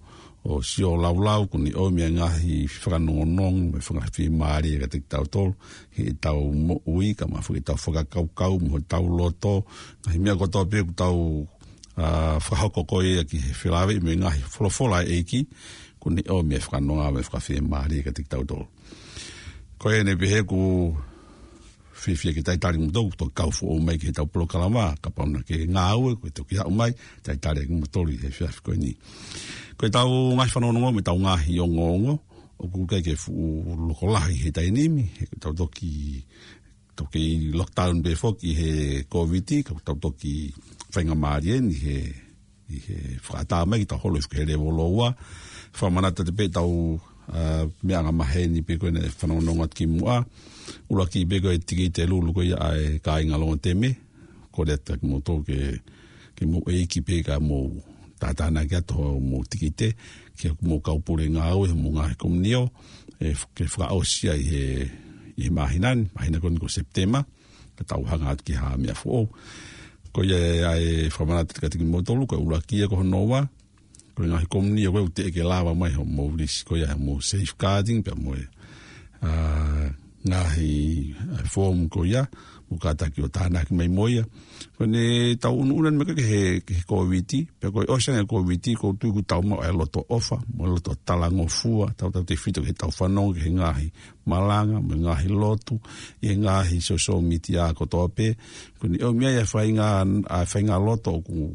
ʻo sio laulau, ʻoku ne ʻomi e ngaahi fakanongonongo, mo e fakafiemālie kiate kitautolu, he tau moʻui, kae ʻumaʻā foki e tau fakakaukau, mo e tau loto, ngaahi meʻa kotoa pē ʻoku tau, ā, fakahoko ko ia ki he felāveʻi mo e ngaahi folofola ʻa e ʻEiki, ʻoku ne ʻomi e fakanonga mo e fakafiemālie kiate kitautolu. Ko eni pē he ʻoku fiefia ke talitali kimoutolu, toki kau foʻou mai ki he tau polokalama, kapau naʻa ke ngāue, ko e toki aʻu mai, talitali kimoutolu ʻi he efiafi ko eni. Ko e tau ngaahi fanongonongo mo e tau ngaahi ongoongo, ʻoku ʻikai ke fuʻu loko lahi he taimi ni, he ko e tau toki, toki lockdown pē foki he Kōviti, ka tau toki faingamālie eni he ʻi he fakaʻatā mai ke tau holo hifo ki he lēvolo ua. Fakamanatu atu pē tau, ā, meʻa anga maheni pē ko ē naʻe fanongonongo atu kimuʻa. ʻUluaki pē ko e tikite lulu ko ia ʻa e kāinga Longoteme. Kole atu kiate kimoutolu ke, ke mou ʻeiki pē kae mou tātānaki atu hoʻomou tikite, ke mou kau pule ngāue, mou ngaahi komiunio, ē, ke fakaʻosi ai he, ʻi he māhina ni, māhina ko eni ko Sepitema, ka tau hanga atu ki ha meʻa foʻou. Ko ia ʻa e fakamanatu kiate kimoutolu, ko e ʻuluaki ia. Ko hono ua, ko e ngaahi komiunio ko ē ʻoku teʻeki ke lava mai hoʻomou lisi, ko ia hoʻomou safeguarding, pea mo e, ā, ngaahi, ā, form ko ia, mou kātaki ʻo tānaki mai mo ia. Ko ʻene tau ʻunuʻunu mai ko ē ki he, ki he Kōviti, pea ko e ʻosi ange Kōviti, ʻoku ou tui ʻoku tau maʻu e loto ʻofa, mo e loto talangofua, tautautefito ki he tau fanongo ki he ngaahi malanga, mo e ngaahi lotu, ʻi he ngaahi social media kotoa pē. ʻOku ne ʻomi ai e faʻahinga, ʻa e faʻahinga loto ʻoku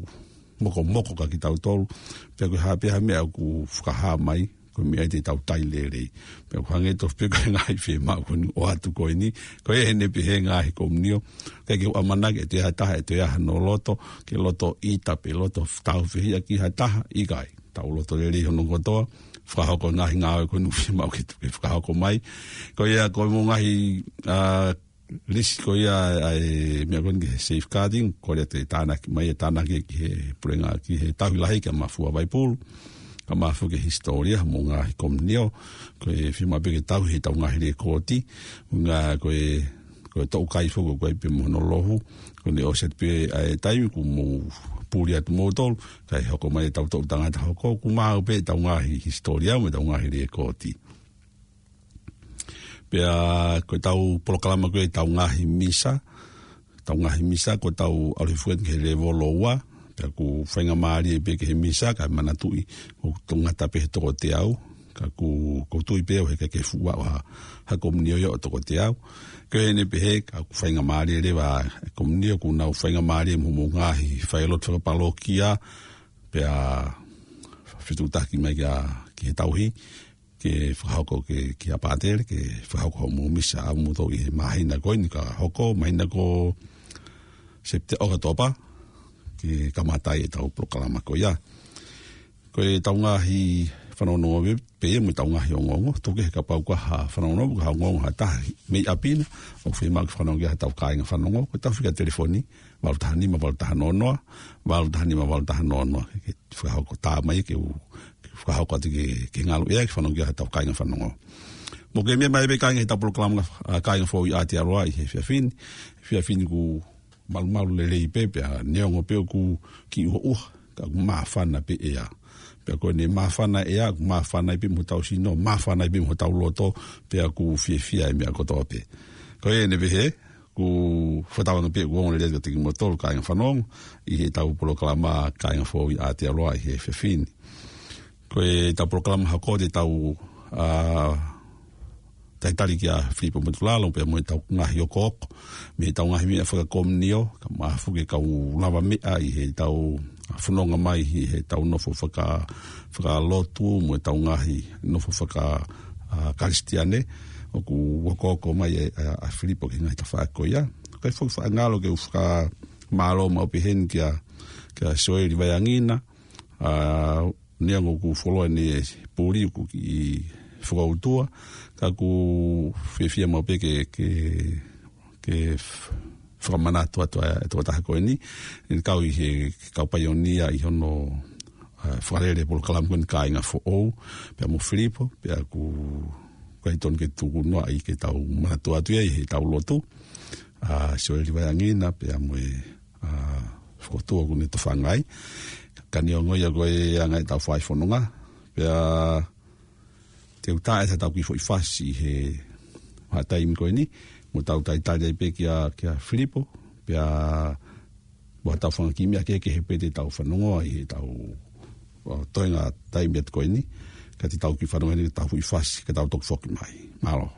mokomoko kiate kitautolu. Pea ko e hā pē ha meʻa ʻoku fakahā mai, ko e meʻa ia te tau tali lelei. Pea ʻoku hangē tofu pē ko e ngaahi fiemaʻu ko eni ʻoatu ko eni, ko eni pē he ngaahi komiunio. ʻIkai ke u ʻamanaki ʻe toe ʻi ai ha taha, ʻe toe ʻi ai hano loto, ke loto ʻita pe loto tāufehiʻa ki ha taha, ʻikai. Tau loto lelei hono kotoa, fakahoko e ngaahi ngāue ko eni ʻoku fiemaʻu ke, ke fakahoko mai. Ko ia ko e mo e ngaahi, ā, lisi ko ia ʻa e meʻa ko eni ki he safeguarding, ko ia te tānaki mai, e tānaki ki he pulenga, ki he tauhi lahi kia Mafua Vaipulu, kae ʻumaʻā foki e hisitōlia mo e ngaahi komiunio, ko e fiemaʻu pē ke tauhi ʻetau ngaahi lekooti, ngaahi ko e, ko e toʻukai foki ko ē pē mo hono lohu, ko ʻene ʻosi atu pē ʻa e taimi kuo mou puli atu moutolu, kae hoko mai ʻetau toʻu tangata hoko, kuo maau pē ʻetau ngaahi hisitōlia mo ʻetau ngaahi lekooti. Pea ko ʻetau polokalama ko ē ʻetau ngaahi misa, ʻetau ngaahi misa ko ʻetau ʻalu hifo eni ki he lēvolo ua, pea ʻoku faingamālie pē ki he misa, kae manatuʻi ʻoku ngata pē he toko teau, ka ʻoku, ʻoku ou tui pē ʻoku ʻikai ke fuʻu ʻaʻu ha, ha komiunio ia ʻo toko teau. Ko ʻene pehē, ka ʻoku faingamālie leva e komiunio, ʻoku nau faingamālie mo hoʻomou ngaahi failotu fakapalokia, pea fetuʻutaki mai kia, ki he tauhi, ke fakahoko ke, ki he pātele, ke fakahoko hoʻomou misa ʻamoutolu ʻi he māhina ko eni ka hoko, māhina ko Sepite-, ʻOkatopa, ke kamata ai ʻetau polokalama ko ia. Ko ʻetau ngaahi fanongonongo pē ia mo ʻetau ngaahi ongoongo, tuku kehe kapau ʻoku ʻi ai ha fanongonongo, ka ongoongo ha taha mei ʻapi na, ʻoku fiemaʻu ke fanongo ki ai haʻatau kāinga fanongo, ko ʻetau fika telefoni, valu taha nima, valu taha noa noa, valu taha nima, valu taha noa noa, ke, ke fakahoko tā mai ke u, ke fakahoko atu ke, ke ngalu ia ke fanongo ki ai haʻatau kāinga fanongo. Mou kei meʻa mai pē kāinga heʻetau polokalama, ʻa, Kāinga Foʻou ʻi Aotearoa ʻi he efiafi ni. Efiafi ni kuo malumalu lelei pē pea neongo pē ʻoku kiʻi ʻuha ʻuha, ka ʻoku māfana pē ʻea. Pea ko ʻene māfana ʻea, ʻoku māfana ai pē mo hotau sino, māfana ai pē mo hotau loto, pea ʻoku fiefia e meʻa kotoa pē. Ko ʻene pehē, ʻoku fakatauange pē ʻoku ongo lelei atu kiate kimoutolu kāinga fanongo, ʻi heʻetau polokalama Kāinga Foʻou ʻi Aotearoa ʻi he efiafi ni. Ko ʻetau polokalama hoko te tau, ʻa, talitali kia Filipo Motulalo, pea mo ʻetau ngaahi okooko, mei heʻetau ngaahi meʻa fakakomiunio, kae ʻumaʻā foki e kau lavameʻa ʻi heʻetau fononga mai, ʻi heʻetau nofo faka-, fakalotu, mo ʻetau ngaahi nofo faka-, ʻa, Kalisitiane, ʻoku okooko mai ʻa, ʻa, ʻa Filipo ki he ngaahi tafaʻaki ko ia. Kae foki faʻa ngalo ke u fakamālō maʻu pē heni kia, kia Sioeli Vaiangina, ʻa, neongo ʻoku fuoloa ʻene puli ʻoku kiʻi fakautua, ka ʻoku fiefia maʻu pē ke, ke, ke f-, fakamanatu atu ʻa e tokotaha ko eni, ʻene kau ʻi he kau paionia ʻi hono, ʻa, fakalele polokalama ko eni Kāinga Foʻou, pea mo Filipo, pea ʻoku ʻikai tonu ke tuku noa ai ke tau manatu atu ia ʻi heʻetau lotu, ʻa, Sioeli Vaiangina, pea mo e, ʻa, fokotuʻu ʻoku ne tofanga ai. Ka neongo ia ko e anga ʻetau fai fononga. Pea te u tā ʻetau kiʻi foʻi fasi he vahaʻa taimi ko eni, mo tau talitali ai pē kia, kia Filipo, pea mo tau fanga kiʻi meʻa kehekehe pē te tau fanongo ai heʻetau, ʻa, toenga taimi atu ko eni, ka te tau kiʻi fanongo heni ʻetau foʻi fasi, ka tau toki foki mai. Mālō.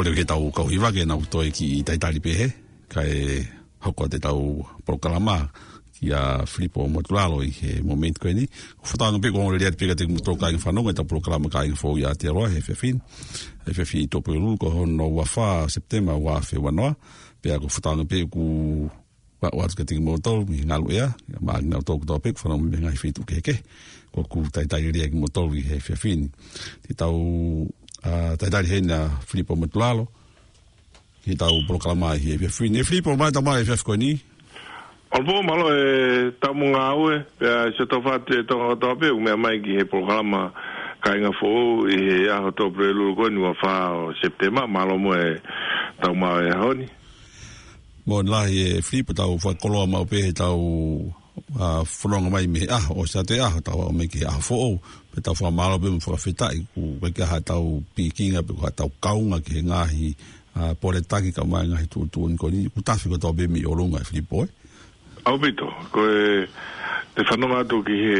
Pea ke tau kau hiva ke nau toe kiʻi talitali pē he, kae hoko atu ʻetau polokalama kia Filipo Motulalo ʻi he momeniti ko eni. Ko e fakaʻamu pē ko e lelei atu pē kiate kimoutolu kāinga fanongo ʻetau polokalama Kāinga Foʻou ʻi Aotearoa he efiafi ni. Efiafi Tuʻapulelulu ko hono ua fā Sepitema ua afe ua noa. Pea ko e fakaʻamu pē ʻoku ʻoatu kiate kimoutolu mei he ngalu ʻea, mo kinautolu kotoa pē ʻoku fanongo mei he ngaahi feituʻu kehekehe. ʻOku talitali lelei kimoutolu ʻi he efiafi ni. Te tau, ā, talitali heni ʻa Filipo Motulalo, ki heʻetau polokalama ʻi he efiafi ni. ʻE Filipo, mālō e tau mai he efiafi ko eni. ʻOlopō, mālō e tau mo ngāue, pea sio tau fatu e Tonga kotoa pē, ʻoku meʻa mai ki he polokalama Kāinga Foʻou ʻi he ʻaho Tuʻapulelulu ko eni ua fā ʻo Sepitema, mālō mo e tau mai he ʻaho ni. Moʻoni lahi ʻe Filipo, tau fakakoloa maʻu pē heʻetau, ā, fononga mai mei he ʻaho, ʻosi atu e ʻaho, tau aʻu mai ki he ʻaho foʻou, pea tau fakamālō pē mo fakafetaʻi, ʻoku ʻikai ke ʻi ai haʻatau pikinga pe ko haʻatau kaunga ki he ngaahi, ā, pole taki kae ʻumaʻā e ngaahi tuʻutuʻuni ko eni, ʻoku tafe kotoa pē mei ʻolunga ʻe Filipo, ē? ʻAupito, ko e, te u fanongo atu ki he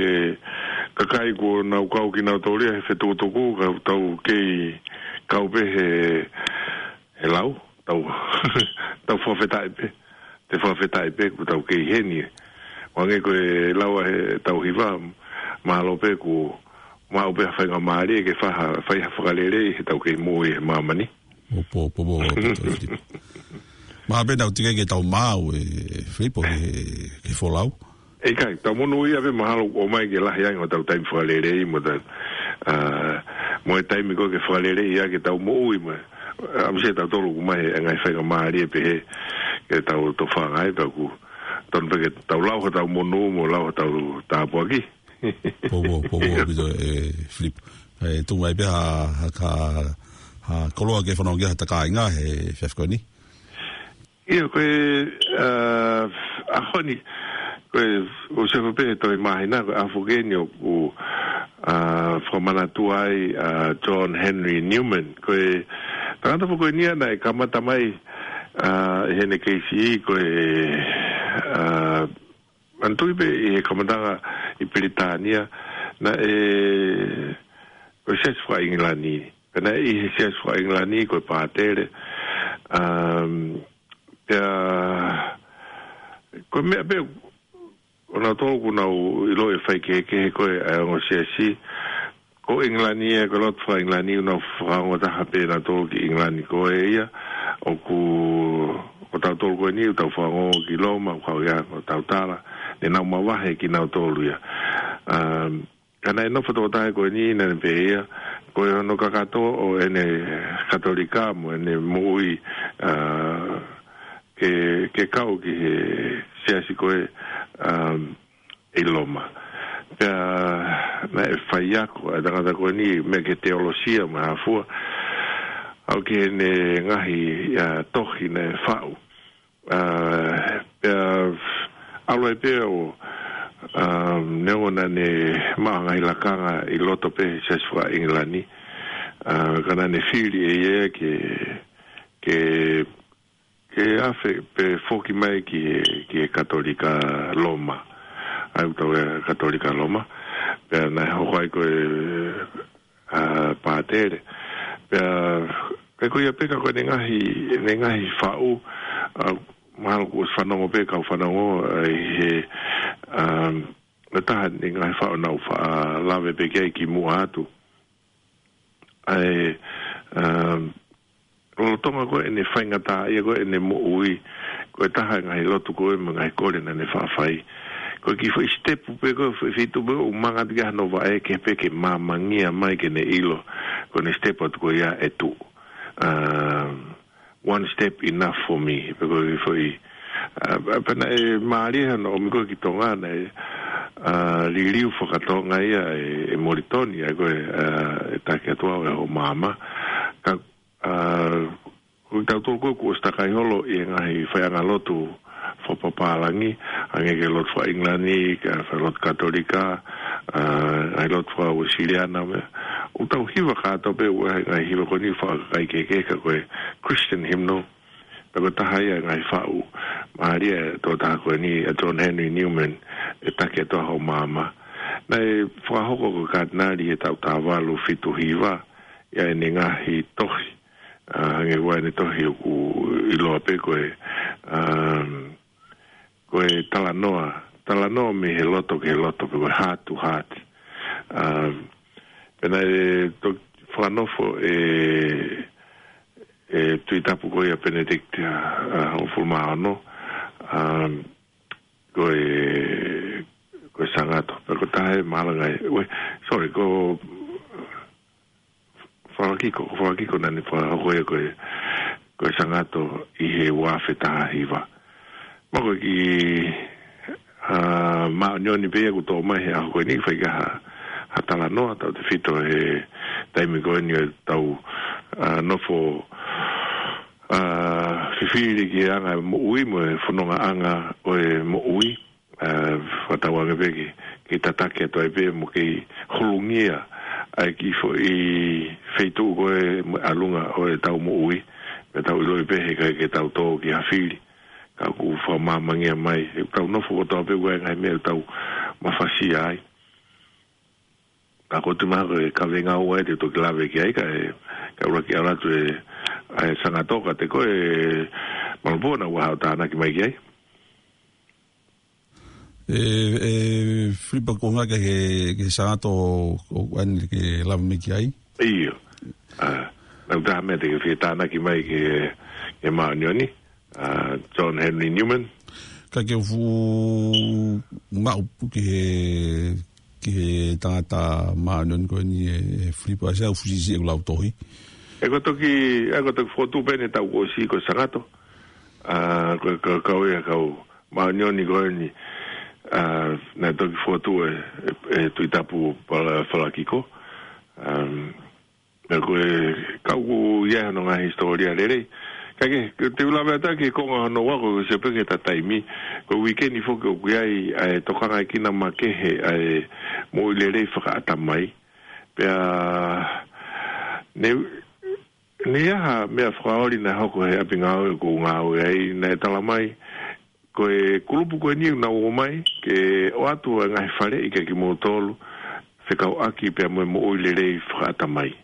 kakai kuo nau kau kinautolu ia he fetukutuku, ka tau kei kau pē he, he lau, tau, tau fakafetaʻi pē, te fakafetaʻi pē kuo tau kei heni. Hangē ko e lau ʻa ʻetau hiva, mālō pē kuo maʻu pē ha faingamālie ke fai ha, fai ha fakalelei heʻetau kei moʻui he māmani. ʻOpō, ʻopō, ʻopō, ʻopō, ʻopō, Filipo. Mahalo pē naʻa tau teʻeki ke tau maʻu ʻe Filipo ke, ke folau. ʻIkai, tau monūʻia pē mahalo ʻomai ke lahi ange hotau taimi fakalelei mo ta, ā, mo e taimi ko ē ke fakalelei ai ke tau moʻui mai. ʻAmusia tautolu ʻoku ʻomai e ngaahi faingamālie pehē ke tau tofanga ai, pea ʻoku tonu pē ke tau lau hotau monū mo lau hotau tāpuaki. ʻOpō, ʻopō, ʻopō, ʻaupito, ʻe Filipo. ʻE tuku mai pē ha, ha, ha, ha koloa ke fanongo ki ai hota kāinga he efiafi ko eni. ʻIo, ko e, ā, ʻaho ni, ko e, ʻoku ou sio pē he tohi māhina, ko e ʻaho foki eni ʻoku, ā, fakamanatua ai ʻa John Henry Newman. Ko e tangata foki eni ia naʻe kamata mai, ā, ʻi heʻene kei siʻi, ko e, ā, manatuʻi pē ʻi he kamataʻanga ʻi Pilitānia, naʻe, ko e siasi faka-ʻIngilani. Pea naʻe ʻi he siasi faka-ʻIngilani ko e pātele. Um, pea, ko e meʻa pē, ʻo nautolu ʻoku nau ʻiloʻi e faikehekehe ko ē ʻa e ongo siasi, ko ʻIngilani ia, ko e lotu faka-ʻIngilani, ʻoku nau fakaongo taha pē nautolu ki ʻIngilani ko ē ia, ʻoku, ko tautolu ko eni, ʻoku tau fakaongo ki Loma, ʻoku kau ia, ʻoku tau tala, ne nau mavahe kinautolu ia. Um, ka naʻe nofo tokotaha ko eni, naʻa ne pehē ia, ko e hono kakato ʻo ʻene Katolika mo ʻene moʻui, ā, ke, ke kau ki he siasi ko ē, um, ʻi Loma. Pea naʻe faiako ʻa e tangata ko eni mei he teolosia mo e hā fua, aʻu ki heʻene ngaahi, ā, tohi naʻe faʻu. Ā, pea ʻalu ai pē ʻo, ā, neongo naʻa ne maʻu ha ngaahi lakanga ʻi loto pē he siasi faka-ʻIngilani, ā, ka naʻa ne fili ʻe ia ke, ke ke afe pē foki mai ki he, ki he Katolika Loma. ʻA ia ʻoku tau ui Katolika Loma. Pea naʻe hoko ai ko e, ā, pātele. Pea, pea ko ia pē ka ko ʻene ngaahi, ʻene ngaahi faʻu, ā, mahalo kuo ʻosi fanongo pē kau fanongo, ā, ʻi he, ā, ʻa e taha ʻene ngaahi faʻu naʻa ku faʻa lave pē ki ai kimuʻa atu. ʻA e, um, lolotonga ko ē ʻene faingataʻaʻia ko ē ʻene moʻui, ko e taha e ngaahi lotu ko ē mo e ngaahi kole naʻa ne faʻa fai. Ko e kiʻi foʻi sitepu pē ko ē, foʻi feituʻu pē ʻoku manga atu ki ai hano vaʻe kehe pē ke māmangia mai ke ne ʻilo, ko ʻene sitepu atu ko ia ʻe tuʻu. Um, one step enough for me, pe ko e foʻi, ā, pea naʻe mālie hano ʻomi ko ē ki Tonga naʻe, ā, liliu faka-Tonga ia ʻe, ʻe Molitoni, ʻa ia ko e, ā, ʻe Taki Atu Au ʻe Hoʻo Maama. Ka, ā, ko kitautolu ko ē kuo ʻosi takai holo ʻi he ngaahi faiʻanga lotu fakapapālangi, hangē ko e lotu faka-ʻIngilani, ko e lotu Katolika, ā, ngaahi lotu faka-Uēsiliana mo e meʻa. ʻOku tau hiva kātoa pē ʻa e ngaahi hiva ko eni faka-kakai kehekehe ka ko e Christian hymnal. Pea ko e taha ia e ngaahi faʻu mālie ʻa e tokotaha ko eni ʻa John Henry Newman, ʻe Taki Atu Au ʻe Hoʻo Maama. Naʻe fakahoko ko e Katinali he taʻu taha valu fitu hiva, ʻa ʻene ngaahi tohi, ʻa, hangē ko ʻene tohi ʻoku ʻiloa pē ko e, um, ko e talanoa, talanoa mei he loto ki he loto, pe ko e heart to heart. Um, pea naʻe toki fakanofo ʻe, ʻe Tuʻi Tapu ko ia Benedict, ʻa, ʻa, hongofulu mā ono, um, ko e, ko e Sangato. Pea ko e taha e mālanga e, we, sorry, ko Falakiko, ko Falakiko naʻa ne fakahoko ia ko e, ko e Sangato ʻi he ua afe taha hiva. Ma ko e kiʻi, ʻa, māʻoniʻoni pē ia ʻoku toʻo mai he ʻaho ko eni, fai ki ai ha, ha talanoa, tautefito he taimi ko eni ʻo ʻetau, ʻa, nofo, ʻa, fifili ki he anga e moʻui mo e fonongaʻanga ʻo e moʻui. ʻA, fakatauange pē ke, ke tataki atu ai pē mo ke holungia ʻa e kiʻi foʻi feituʻu ko ē mo e ʻalunga ʻo ʻetau moʻui. Pea tau ʻiloʻi pē he ʻikai ke tau tō ki ha fili. Ka ʻoku fakamāmangia mai, he ʻoku tau nofo kotoa pē ʻoku ʻi ai e ngaahi meʻa ʻoku tau mafasia ai. Ka ko e tūmaha ko e kaveinga ʻoku ʻai te u toki lave ki ai ka e, ka ʻuluaki ʻalu atu e, ʻa e Sangato ka te ko e Malupō naʻa ʻoku haʻu ʻo tānaki mai ki ai. E, e, Filipa ko ngā ke, ke, ke Sangato ʻoku ʻai ke lave mai ki ai. ʻIo. ʻA, naʻa ʻoku taha meʻa te ke fie tānaki mai ki he, ki he māʻoniʻoni. ʻA, John Henry Newman. Ka ke fuʻu maʻu ki he, ki he tangata māʻoniʻoni ko eni e, e Filipa, ʻa, ʻoku fuʻu siʻisiʻi ʻeku lautohi. ʻE ko e toki, ʻe ko e toki fokotuʻu pē ʻene taʻu kuo ʻosi ko e Sangato. ʻA, ko, ko, kau ia kau māʻoniʻoni ko eni, ʻa, naʻe toki fokotuʻu ʻe, ʻe, ʻe Tuʻi Tapu Fala-, Falakiko. Um, pea ko e kau ʻoku ʻi ai hono ngaahi hisitōlia lelei. Ka ke, ke te u lave atu ki he konga hono ua ko e sio pē ki he taimi. Ko e uike ni foki ʻoku ʻi ai ʻa e tokangaʻi kina makehe ʻa e moʻui lelei fakaʻatamai. Pea ne, ne ʻi ai ha meʻa fakaoli naʻe hoko he ʻapi ngāue ʻoku ou ngāue ai naʻe tala mai ko e kulupu ko eni naʻa nau ō mai ke ʻoatu e ngaahi faleʻi kia kimoutolu fekauʻaki pea mo e moʻui lelei fakaʻatamai.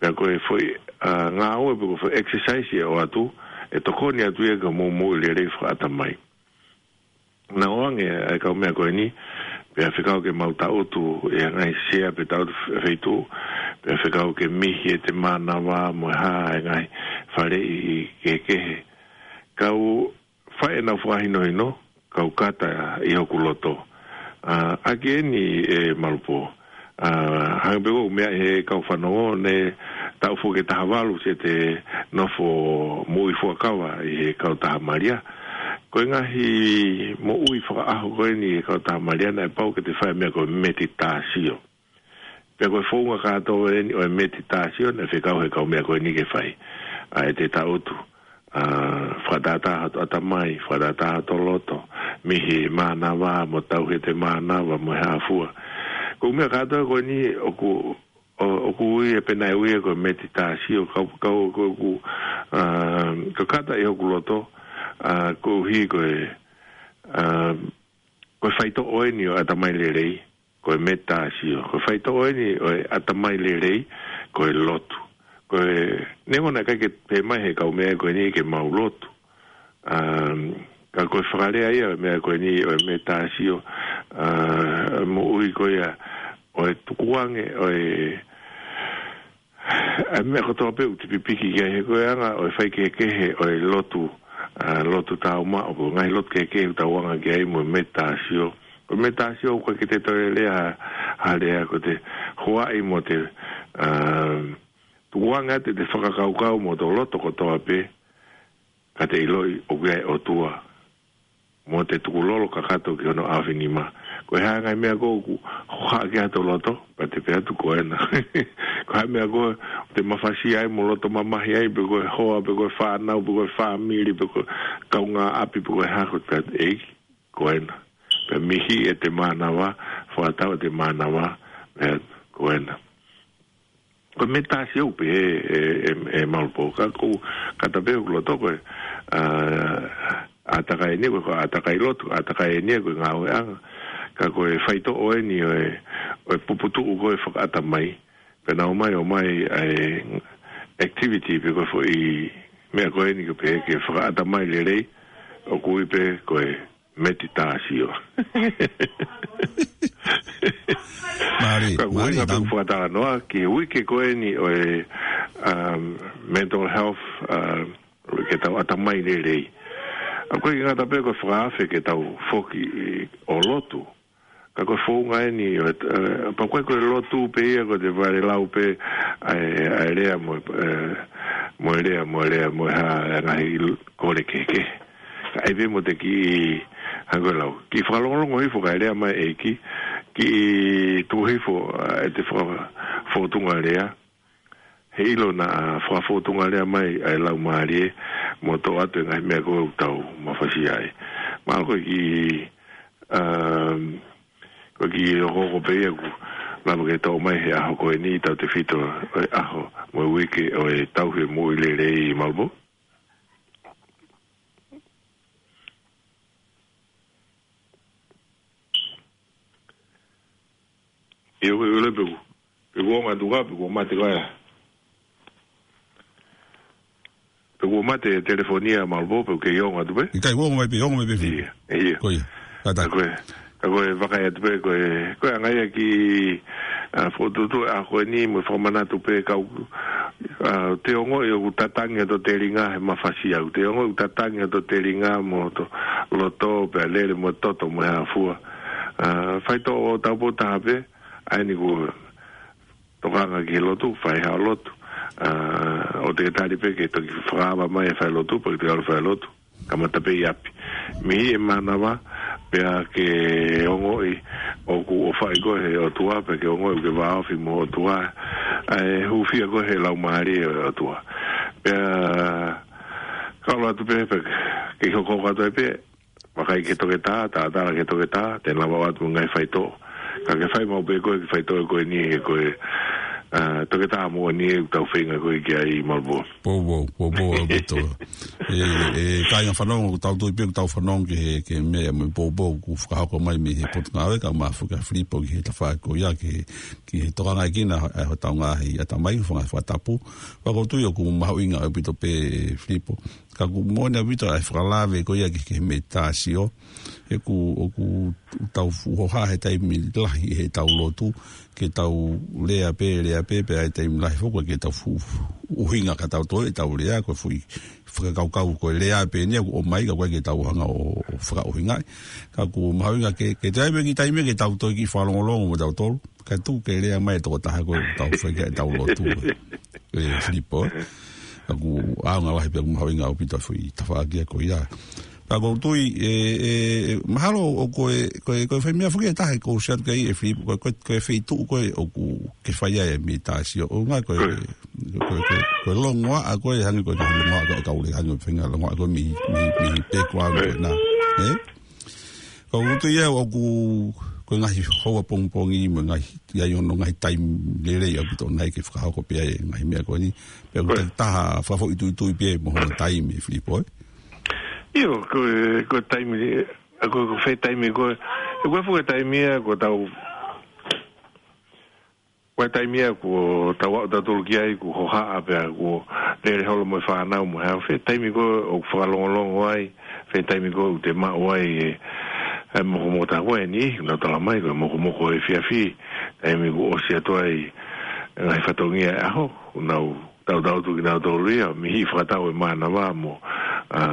Pea ko e foʻi, ʻa, ngāue pe ko e foʻi exercise ʻe ʻoatu, ʻe tokoni atu ia ki hoʻomou moʻui lelei fakaʻatamai. Naʻe ʻoange ʻa e kau meʻa ko eni, pea fekau ke mau taʻutu ʻi he ngaahi sea pe taʻutu fe-, feituʻu, pea fekau ke mihi ʻete mānava mo e hā e ngaahi faleʻi kehekehe. Kau fai ʻenau fakahinohino, kau kata ʻi hoku loto. ʻA, ʻaki eni ʻe Malupō. ʻA, hangē pē ko e meʻa he kau fanongo ne taʻu foki ʻe taha valu sete nofo moʻui fuakava ʻi he kautaha Malia. Ko e ngaahi moʻui fakaʻaho ko eni ʻi he kautaha Malia naʻe pau ke te fai meʻa ko e meditatio. Pea ko e founga kātoa eni ʻo e meditatio naʻe fekau he kau meʻa ko eni ke fai. ʻA, ʻete taʻutu. ʻA, fakatātā hoto ʻatamai, fakatātā hoto loto, mihi mānava, mo tauhi ʻete mānava, mo e hā fua. Ko e meʻa kātoa ko eni ʻoku, ʻo, ʻoku ui ʻe pehē naʻe ui ia ko e meditatio, kau, kau, ko, ko, ʻa, ko e kata ʻi hoku loto, ʻa, koeʻuhi ko e, ʻa, ko e faitoʻo eni ʻo e ʻatamai lelei, ko e meditatio. Ko e faitoʻo eni ʻo e ʻatamai lelei, ko e lotu. Ko e, neongo naʻe ʻikai ke pehē mai he kau meʻa ko eni ke mau lotu. Um, ka ko e fakalea ia ʻo e meʻa ko eni ʻo e meditatio, ʻa, moʻui ko ia ʻo e tukuange, ʻo e, ʻa e meʻa kotoa pē ʻoku te pipiki ki ai he ko e anga ʻo e faikehekehe ʻo e lotu, ʻa, lotu tāumaʻu, ko e ngaahi lotu kehekehe ʻoku tau anga ki ai mo e meditatio. Ko e meditatio ʻoku ʻikai ke te toe lea ha, ha lea ko ʻete hoaʻi mo ʻete, ʻa, tukuange ʻete, ʻete fakakaukau mo hoto loto kotoa pē, ka te ʻiloʻi ʻoku ʻi ai e ʻOtua. Mo ʻete tukulolo kakato ki hono ʻaofinima. Ko e hā e ngaahi meʻa ko ē ʻoku hohaʻa ki ai hoto loto, pea te pehē atu ko ena. Ko e hā e meʻa ko ē ʻoku te mafasia ai mo loto mamahi ai, pe ko e hoa, pe ko e fānau, pe ko e fāmili, pe ko e kaungāʻapi, pe ko e hā, ko e pehē atu ʻEiki, ko ena. Pea mihi ʻete mānava, fakatau ʻete mānava, pehē atu ko ena. Ko e meditatio pē ʻe, ʻe, ʻe, ʻe Malupō, ka ʻoku ou kata pē hoku loto ko e, ʻa, ʻātakai eni ia, ko e ʻātakai lotu, ʻātakai eni ia ko e ngāueʻanga, ka ko e faitoʻo eni ʻo e, ʻo e puputuʻu ko ē fakaʻatamai, pea naʻa ʻomai, ʻomai ʻa e, activity pe ko e foʻi meʻa ko eni ko e pehē ke fakaʻatamai lelei, ʻoku ui pē ko e meditation. Mālie, ka ʻoku mālie, ʻuhinga pē Tam. Fakatalanoa ki he uike ko eni ʻo e, um, mental health, um, ke tau ʻatamai lelei. ʻOku ʻikai ke ngata pē ko e fakaafe ke tau foki ʻo lotu. Ka ko e founga eni, ʻo, eh, pea ko e, ko e lotu pē ia, ko e te vale lau pē, ʻa e, ʻa e lea mo, eh, mo e lea, mo e lea, mo e hā, e ngaahi kole kehekehe. Ka ʻai pē mo te kiʻi, hangē ko e lau. Kiʻi fakalongolongo hifo kae lea mai e ʻEiki, kiʻi tuku hifo, ʻa e te faka-, fōtunga lea. He ʻilo naʻa fakafōtunga lea mai ʻa e Laumālie mo toʻo atu e ngaahi meʻa ko ē ʻoku tau mafasia ai. Mahalo ko e kiʻi, um, ko e kiʻi hokohoko pē ia ʻoku lava ke toʻo mai he ʻaho ko eni, tautefito ʻo e ʻaho mo e uike ʻo e tauhi e moʻui lelei, Malvo. ʻIo, ko e ʻilo pē ʻoku, pē ʻoku ongo atu ka, pē ʻoku mate ko ia. Pē ʻoku mate e telefoni ia, Malvo, pē ʻoku kei ongo atu pē. ʻIkai, ongo mai pē, ongo mai pē, Filipo. ʻIo, ʻio. Ko ia. Kātaki. Ka ko e, ka ko e vakai atu pē, ko e, ko e anga ia kiʻi, ʻa, fokotuʻutuʻu ʻa ko eni mo e fakamanatu pē kau, ʻa, te ongoʻi ʻoku tatangi ʻa e telinga he mafasia, te ongoʻi ʻoku tatangi ʻa e telinga mo e loto pea lele mo e toto mo e hā fua. ʻA, faitoʻo taupotu taha pē, ʻa eni ko e tokanga ki he lotu, fai haʻo lotu. ʻA, ʻoua te ke tali pē ke toki fakaava mai e fai lotu, pea ke toki ʻalu fai lotu. Kamata pē ʻi ʻapi. Mei he mānava, pea ke ongoʻi ʻoku ʻofaʻi koe he ʻOtua, pea ke ongoʻi ʻoku ke vāofi mo e ʻOtua. ʻA e hūfia koe he Laumālie ʻo e ʻOtua. Pea ka ʻalu atu pē, pea ke hokohoko atu ai pē, vakai ki he toketā, talatala ki he toketā, te ne lava ʻoatu e ngaahi faitoʻo. Ka ke fai maʻu pē koe ki he faitoʻo ko eni he ko e, ʻa, toketā moʻoni ʻoku tau feinga ko ē ki ai, Malvo. Poupou, poupou ʻaupito. ʻE, ʻe, kāinga fanongo, ʻoku tau tui pē ʻoku tau fanongo ki he, ki he meʻa mo e poupou kuo fakahoko mai mei he Potungāue, kae ʻumaʻā foki ʻa Filipo ki he tafaʻaki ko ia, ki he, ki he tokangaʻi ʻa e, ʻa hotau ngaahi ʻatamai, fanga fakatapu. Pea ʻoku ou tui ʻoku mahuʻinga ʻaupito pē, Filipo. Ka ʻoku moʻoni ʻaupito ʻa e fakalave ko ia ki he, ki he meditation. He ʻoku, ʻoku tau fuʻu hohaʻa he taimi lahi he tau lotu, ke tau lea pē, lea pē, pea ʻi he taimi lahi foki ke tau fuʻu, fuʻu ʻuhinga ka tau toe, tau lea, ko e foʻi fakakaukau ko e lea pē eni ʻoku ʻomai, ka ʻoku ʻikai ke tau hanga ʻo, ʻo fakaʻuhingaʻi. Ka ʻoku mahuʻinga ke, ke toe ʻi ai pē kiʻi taimi ke tau toe kiʻi fakalongolongo mo tautolu. Kae tuku ke lea mai e tokotaha ko ē ʻoku tau fai ki ai ʻetau lotu. ʻE, Filipo, ē. Ka ʻoku ʻaonga lahi pea ʻoku mahuʻinga ʻaupito e foʻi tafaʻaki ko ia. Ka ʻoku ou tui, ʻe, ʻe, ʻe, mahalo ʻoku ko e, ko e, ko e fai meʻa foki ʻe taha ʻoku ou sio atu ki ai ʻe Filipo, ko e, ko e, ko e feituʻu ko ē ʻoku ke fai ai e meditation. ʻUhinga ko e, ko e, ko e, ko e, ko e longoaʻa ko ē hangē ko e longoaʻa ko ē ʻa e kau lea hangē ko e feinga longoaʻa ko ē mei, mei, mei he background ko ena. Ē? Ka ʻoku ou tui ia ʻoku ko e ngaahi houa pongipongi mo e ngaahi, ʻi ai hono ngaahi taimi lelei ʻaupito ʻoku nau ke fakahoko pē ai e ngaahi meʻa ko eni. Pea ʻoku Ko e. ta-, taha fakafoʻituitui pē mo hono taimi, Filipo, ē? ʻIo, ko e, ko e taimi, ko e, ko e fē taimi ko e, ko e fē taimi ia, ko e tau Ko e taimi ia kuo tau aʻu tautolu ki ai, kuo hohaʻa pea kuo lele holo mo e fānau mo e hā, fē taimi ko ē ʻoku fakalongolongo ai, fē taimi ko ē ʻoku te maʻu ai e, e mokomoko tā ko eni, nau tala mai ko e mokomoko efiafi, taimi kuo ʻosi atu ai e ngaahi fatongia e ʻaho, nau tautau atu kinautolu ia, mei he fakatau e mānava mo, ʻa,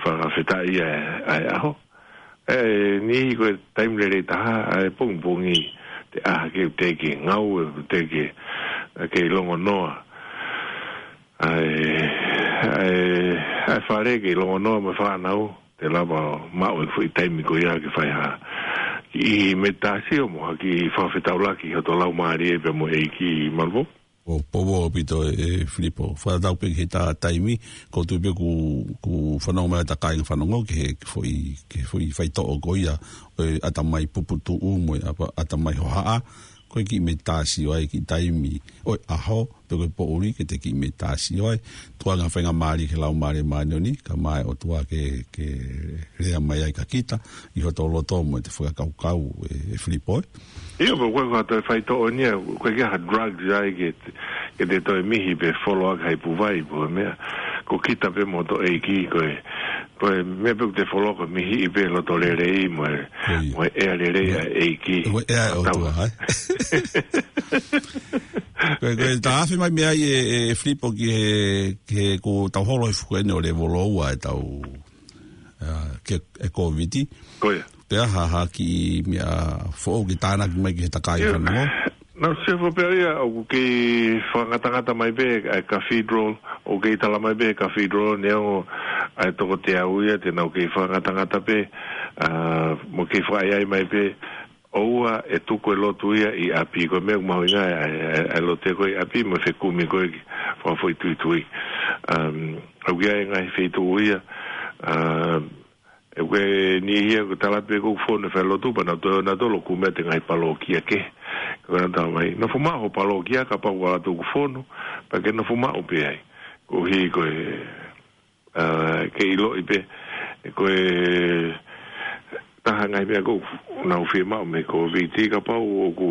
fakafetaʻi ʻa e, ʻa e ʻaho. ʻE, niʻihi ko e taimi lelei taha, ʻa e pongipongi, te ʻā ke u te ke ngāue, u te ke, ke longonoa. ʻA e, ʻa e, ʻa e fale ke longonoa mo e fānau, te lava maʻu e foʻi taimi ko ia ke fai ha kiʻi meditation mo ha kiʻi fakafetaulaki ki hoto laumālie pea mo e ʻEiki, Malvo. ʻO poupou ʻaupito ē, ē Filipo. Fakatatau pē ki he ta-, taimi, ʻoku ou tui pē ʻoku, ʻoku fanongo mai ʻa e kāinga fanongo ki he, ki he foʻi, ki he foʻi faitoʻo ko ia, ʻo e ʻatamai puputuʻu mo e ʻapa-, ʻatamai hohaʻa, ko e kiʻi meditation ai, kiʻi taimi, ʻo e ʻaho, pe ko e poʻuli, ke te kiʻi meditation ai, tuku ange ha faingamālie ki he Laumālie Māʻoniʻoni, kae ʻumaʻā e ʻOtua ke, ke lea mai ai kia kita, ʻi hoto loto mo ʻete fakakaukau ē, ē Filipo, ē. ʻIo, pea ko e, ko e toe faitoʻo eni ia, ʻoku ʻikai ke ʻi ai ha drugs ai ke, ke ke te toe mihi pē folo ʻaki ha ipu vai pe ko e meʻa. Ko kita pē mo hoto ʻEiki ko e, ko e meʻa pē ʻoku te folo ko e mihiʻi pē loto lelei mo e, Ko ia. mo e ʻea lelei ʻa e ʻEiki. Ko e ʻea ʻo e ʻOtua, ʻai. Ko e, ko e taʻafi mai mei ai ē, ē, Filipo ki he, ki he kuo tau holo he fuku eni ʻo lēvolo ua ʻetau, ā, ke, e Kōviti. Ko ia. Pea ha, ha kiʻi meʻa foʻou ke tānaki mai ki he takai Ia. fanongo. Naʻa ku sio pē ia ʻoku kei fakangatangata mai pē ʻa e cathedral, ʻoku kei tala mai pē cathedral, neongo ʻa e toko teau ia, te nau kei fakangatangata pē, ā, mo kei fakaʻaiʻai mai pē, ʻoua ʻe tuku e lotu ia ʻi ʻapi, ko e meʻa ʻoku mahuʻinga ʻa e, ʻa e, ʻa e lotu ko ē ʻi ʻapi, mo e fekumi ko ē ki he fakafoʻituitui. Um, ʻoku ʻi ai e ngaahi feituʻu ia, um, ʻoku ʻi ai e niʻihi ia ʻoku tala pē ʻoku fonu e falelotu, pea nau toe ō nautolu ʻo kumi atu e ngaahi palōkia kehe. Ko ena tala mai, nofo maʻu ho palōkia kapau ʻoku ʻalu atu ʻoku fonu, pea ke nofo maʻu pē ai. Koeʻuhi ko e, ā, ke ʻiloʻi pē, ko e taha e ngaahi meʻa ʻoku nau fiemaʻu mei he Kōviti kapau ʻoku,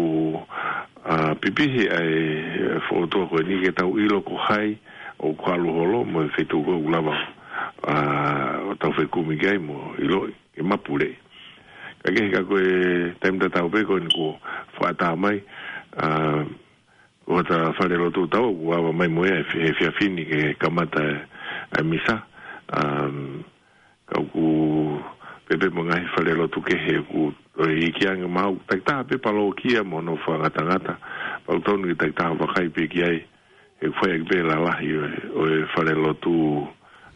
ā, pipihi ʻa e fōtunga ko eni ke tau ʻilo ko hai ʻoku ʻalu holo mo e feituʻu ko ē ʻoku lava, ā, ʻo tau fekumi ki ai mo ʻiloʻi ke mapuleʻi. Ka kehe ka ko e taimi tatau pē ko eni kuo fakaʻatā mai, ā, ko hota falelotu ʻoku tau ʻoku ava mai mo ia he efiafi ni ke kamata e, e misa. Um, ka ʻoku pehē pē mo e ngaahi falelotu kehe ʻoku toe iiki ange maʻu, takitaha pē palōkia mo hono fakangatangata. Pea ʻoku totonu ke takitaha vakai pē ki ai, he ʻoku fai ʻaki pē e lalahi ʻo e, ʻo e falelotu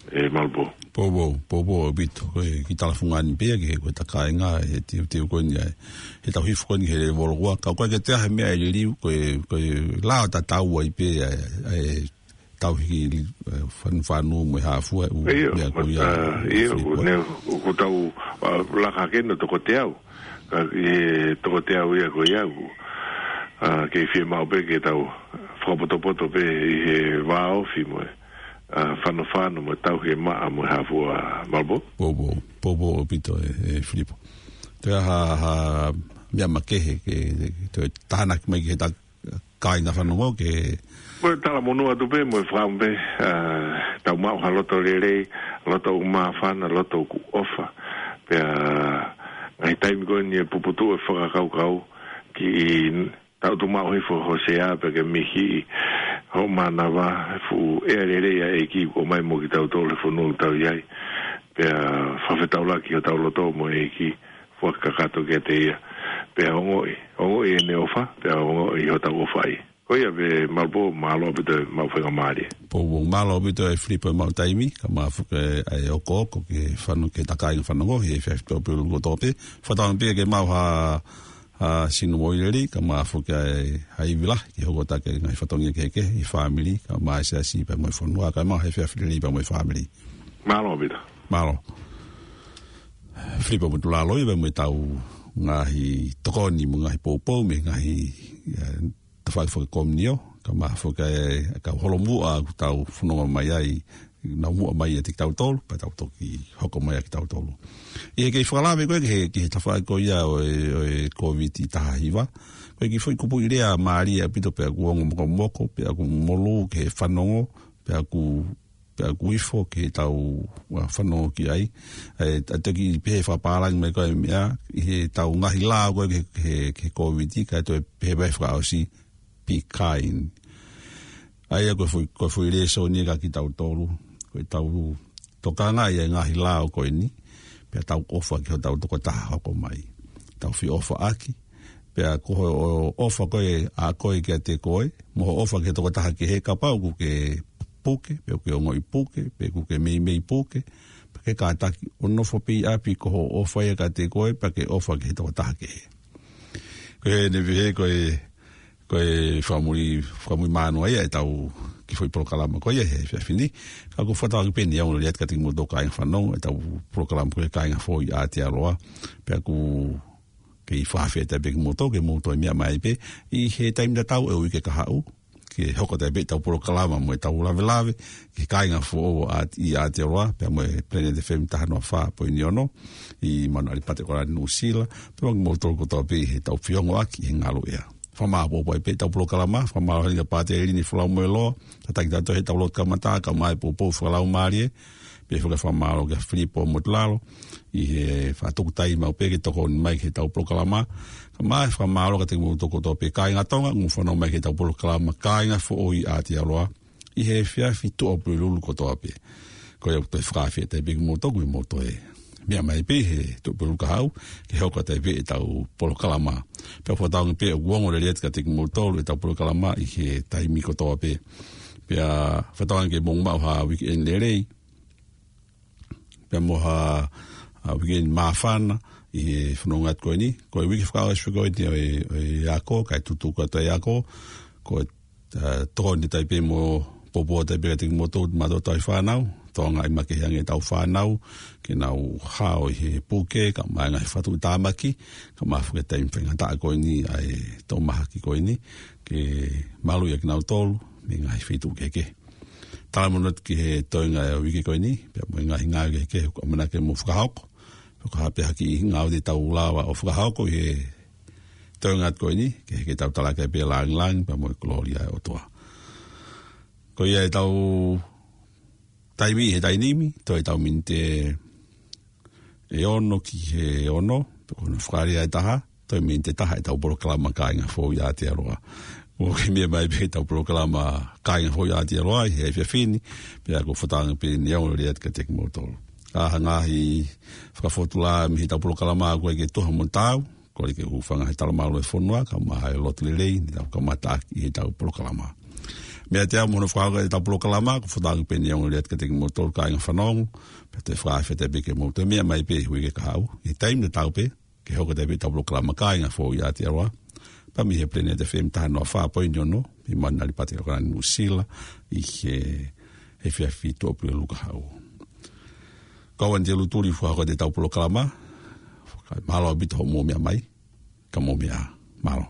ē Malupō. Poupou, poupou ʻaupito, ko e kiʻi talafungani pē ia ki he, ko e tā kāinga, he teuteu ko eni ʻa e, he tau hifo ko eni he lēvolo ua, ka ʻoku ʻikai ke toe ʻi ai ha meʻa ʻe liliu, ko e, ko e lao tatau ai pē ʻa e, ʻa e tauhi, ē, fanufanu mo e hā fua, ʻū Ia, meʻa ko ia, ā, ia, Filipo, ʻoku ē? ne, ʻoku tau, ā, laka hake ʻo toko teau, ka ʻi he toko teau ia ko ia ʻoku, ā, kei fiemaʻu pē ke tau fakapotopoto pē ʻi he vāofi mo e, ā, fanofano mo e tauhi e maʻa mo e hā fua Malupō. Poupou, poupou ʻaupito ē, ē Filipo. Toe ʻi ai ha, ha meʻa makehe ke, ke toe tānaki mai ki he tā kāinga fanongo ke Ko e talamonū atu pē mo e fakaʻamu pē, ā, tau maʻu ha loto lelei, loto ʻoku māfana, loto ʻoku ʻofa. Pea ngaahi taimi ko eni ʻe puputuʻu e fakakaukau ki he taʻutu maʻu hifo ho sea pea ke mihiʻi hoʻo mānava he fuʻu ʻea lelei ʻa e ʻEiki kuo ʻomai mo kitautolu he fonua ʻoku tau ʻi ai. Pea fakafetaulaki hotau loto mo e ʻEiki, foaki kakato kiate ia. Pea ongoʻi, ongoʻi ʻene ʻofa, pea ongoʻi hotau ʻofa ai. Ko ia pē Malupō, mālō ʻaupito e maʻu faingamālie. Poupou, mālō ʻaupito ē Filipo e maʻu taimi, kae ʻumaʻā foki ē ʻa e ʻokoʻoko ke fanongo, ki he tā kāinga fanongo he efiafi Tuʻapulelulu kotoa pē. Fakatauange pē ke maʻu ha, ha sino moʻui lelei, kae ʻumaʻā foki ē ha ivi lahi ke hoko atu ki he ngaahi fatongia kehekehe ʻi he fāmili, kae ʻumaʻā e siasi pea mo e fonua, kae ʻumaʻā he efiafi lelei pea mo e fāmili. Mālō ʻaupito. Mālō. Filipo Motulalo ia pea mo ʻetau ngaahi tokoni mo e ngaahi poupou mei he ngaahi, ē, tafaʻaki fakakomiunio, kae ʻumaʻā foki ē ʻa e kau holomuʻa ʻoku tau fononga mai ai, nau muʻa mai ʻiate kitautolu, pea tau toki hoko mai ʻa kitautolu. ʻI he kei fakalave ko ē ki he, ki he tafaʻaki ko ia ʻo e, ʻo e Kōviti taha hiva, ko e kiʻi foʻi kupuʻi lea mālie ʻaupito pea ʻoku ongo mokomoko, pea ʻoku molū ki he fanongo, pea ʻoku pea ʻoku ifo ki heʻetau, ā, fanongo ki ai. ʻE, ʻa e toki pehē fakapālangi mai ko e meʻa, ʻi heʻetau ngaahi lao ko ē ki he, ki he, ki he Kōviti, kae toe pehē mai fakaʻosi, be kind. ʻA ia ko e foʻi, ko e foʻi lēsoni ia kia kitautolu, ko ʻetau tokanga ʻi he ngaahi lao ko eni, pea tau ʻofa ki hotau tokotaha hoko mai. Tau feʻofaʻaki, pea ko hoʻo ʻofa ko ē ʻa koe kiate koe, mo hoʻo ʻofa ki he tokotaha kehe kapau ʻoku ke puke, pe ʻoku ke ongoʻi puke, pe ʻoku ke meimei puke, pea ke kātaki ʻo nofo pē ʻi ʻapi ko hoʻo ʻofa ia kiate koe, pea ke ʻofa ki he tokotaha kehe. Ko ʻene pehē ko e, ko e fakamui, fakamui mānoa ia ʻetau kiʻi foʻi polokalama ko ia he efiafi ni. Ka ʻoku ou fakatauange pē ʻe ʻikai ke ʻaonga lelei atu kiate kimoutolu kāinga fanongo, ʻetau polokalama ko e Kāinga Foʻou ʻi ʻAotearoa, pea ʻoku kei fakafetaʻi pē kimoutolu ke mou toe meʻa mai pē ʻi he taimi tatau ʻo e uike kahaʻu, ke hoko atu pē ʻetau polokalama mo ʻetau lavelave ki he Kāinga Foʻou ʻa, ʻi ʻAotearoa, pea mo e Planet F M taha noa fā poini ono, ʻi Manuʻalipata ʻAokalani, Nuʻusila, pea mo kimoutolu kotoa pē ʻi heʻetau feongoʻaki he ngaluʻea. Fakamālō pē ʻetau polokalama, fakamālō heni kia Pātele Lini Folau Moeloa, tataki tautolu he ʻetau lotu kamata, kae ʻumaʻā e poupou fakalaumālie, pea foki fakamālō kia Filipo Motilalo, ʻi he faʻa tuku taimi maʻu pē ke tokoni mai ki heʻetau polokalama, kae ʻumaʻā e fakamālō kiate kimoutolu kotoa pē kāinga Tonga, ʻoku mou fanongo mai ki heʻetau polokalama, Kāinga Foʻou ʻi Aotearoa, ʻi he efiafi Tuʻapulelulu kotoa pē. Ko ia ʻoku toe fakafetaʻi pē kimoutolu, ʻoku mou toe meʻa mai pē he Tuʻapulelulu kahaʻu, ke hoko atu ai pē ʻetau polokalama. Pea fakatauange pē ʻoku ongo lelei atu kiate kimoutolu ʻetau polokalama ʻi he taimi kotoa pē. Pea fakatauange ke mou maʻu ha weekend lelei, pea mo ha, ha weekend māfana ʻi he fononga atu ko eni. Ko e uike fakaʻosi ko eni ʻo e, ʻo e ako, kae tutuku atu e ako, ko e, ʻa, tokoni atu ai pē mo poupou atu ai pē kiate kimoutolu, mātuʻa tauhi fānau, tokanga ʻi he makehe ange ʻetau fānau, ke nau hao ʻi he puke, kae ʻumaʻā e ngaahi fakatuʻutāmaki, kae ʻumaʻā foki e taimi faingataʻa ko eni ʻa e toʻo mahaki ko eni, ke maluʻi ʻa kinautolu mei he ngaahi feituʻu kehekehe. Talamonū atu ki he toenga ʻo e uike ko eni, pea mo e ngaahi ngāue kehekehe ʻoku ʻamanaki ke mou fakahoko. Pea ko ha pē ha kiʻi ngāue te tau lava ʻo fakahoko ʻi he toenga atu ko eni, ke, ke tau talaki ai pē e lāngilangi, pea mo e kolōlia ʻo e ʻOtua. Ko ia ʻetau taimi he taimi ni, toe ʻetau miniti ʻe ono ki he ono, pe ko hono fakalea ʻe taha, toe miniti ʻe taha ʻetau polokalama Kāinga Foʻou ʻi Aotearoa. ʻOku mou meʻa mai pē ki heʻetau polokalama Kāinga Foʻou ʻi Aotearoa ʻi he efiafi ni, pea ʻoku ou fakatauange pē ʻoku ongo lelei atu kiate kimoutolu. Ka ʻi ai ha ngaahi fakafōtunga mei heʻetau polokalama ʻoku ʻikai ke tuha mo taau, kole ke u hūfanga he talamalu ʻo e fonua, kae ʻumaʻā e lotu lelei, ne tau kamata ʻaki ʻi heʻetau polokalama. Mea te au mo hono fakahoko ʻetau polokalama, ʻoku ou fakatauange pē ʻoku ongo lelei atu kiate kimoutolu kāinga fanongo, pea toe fakafetaʻi pē ke mou toe meʻa mai pē he uike kahaʻu, ʻi he taimi tatau pē, ke hoko atu ai pē ʻetau polokalama Kāinga Foʻou ʻi Aotearoa, pea mei he Planet F M taha noa fā poini ono, mei Manungali Pātele ʻAokalani Nuʻusila, ʻi he efiafi Tuʻapulelulu kahaʻu. Ko au Anitelu Tuli, fakahoko atu ʻetau polokalama, kae mālō ʻaupito hoʻomou meʻa mai, ka mou meʻa ā, mālō.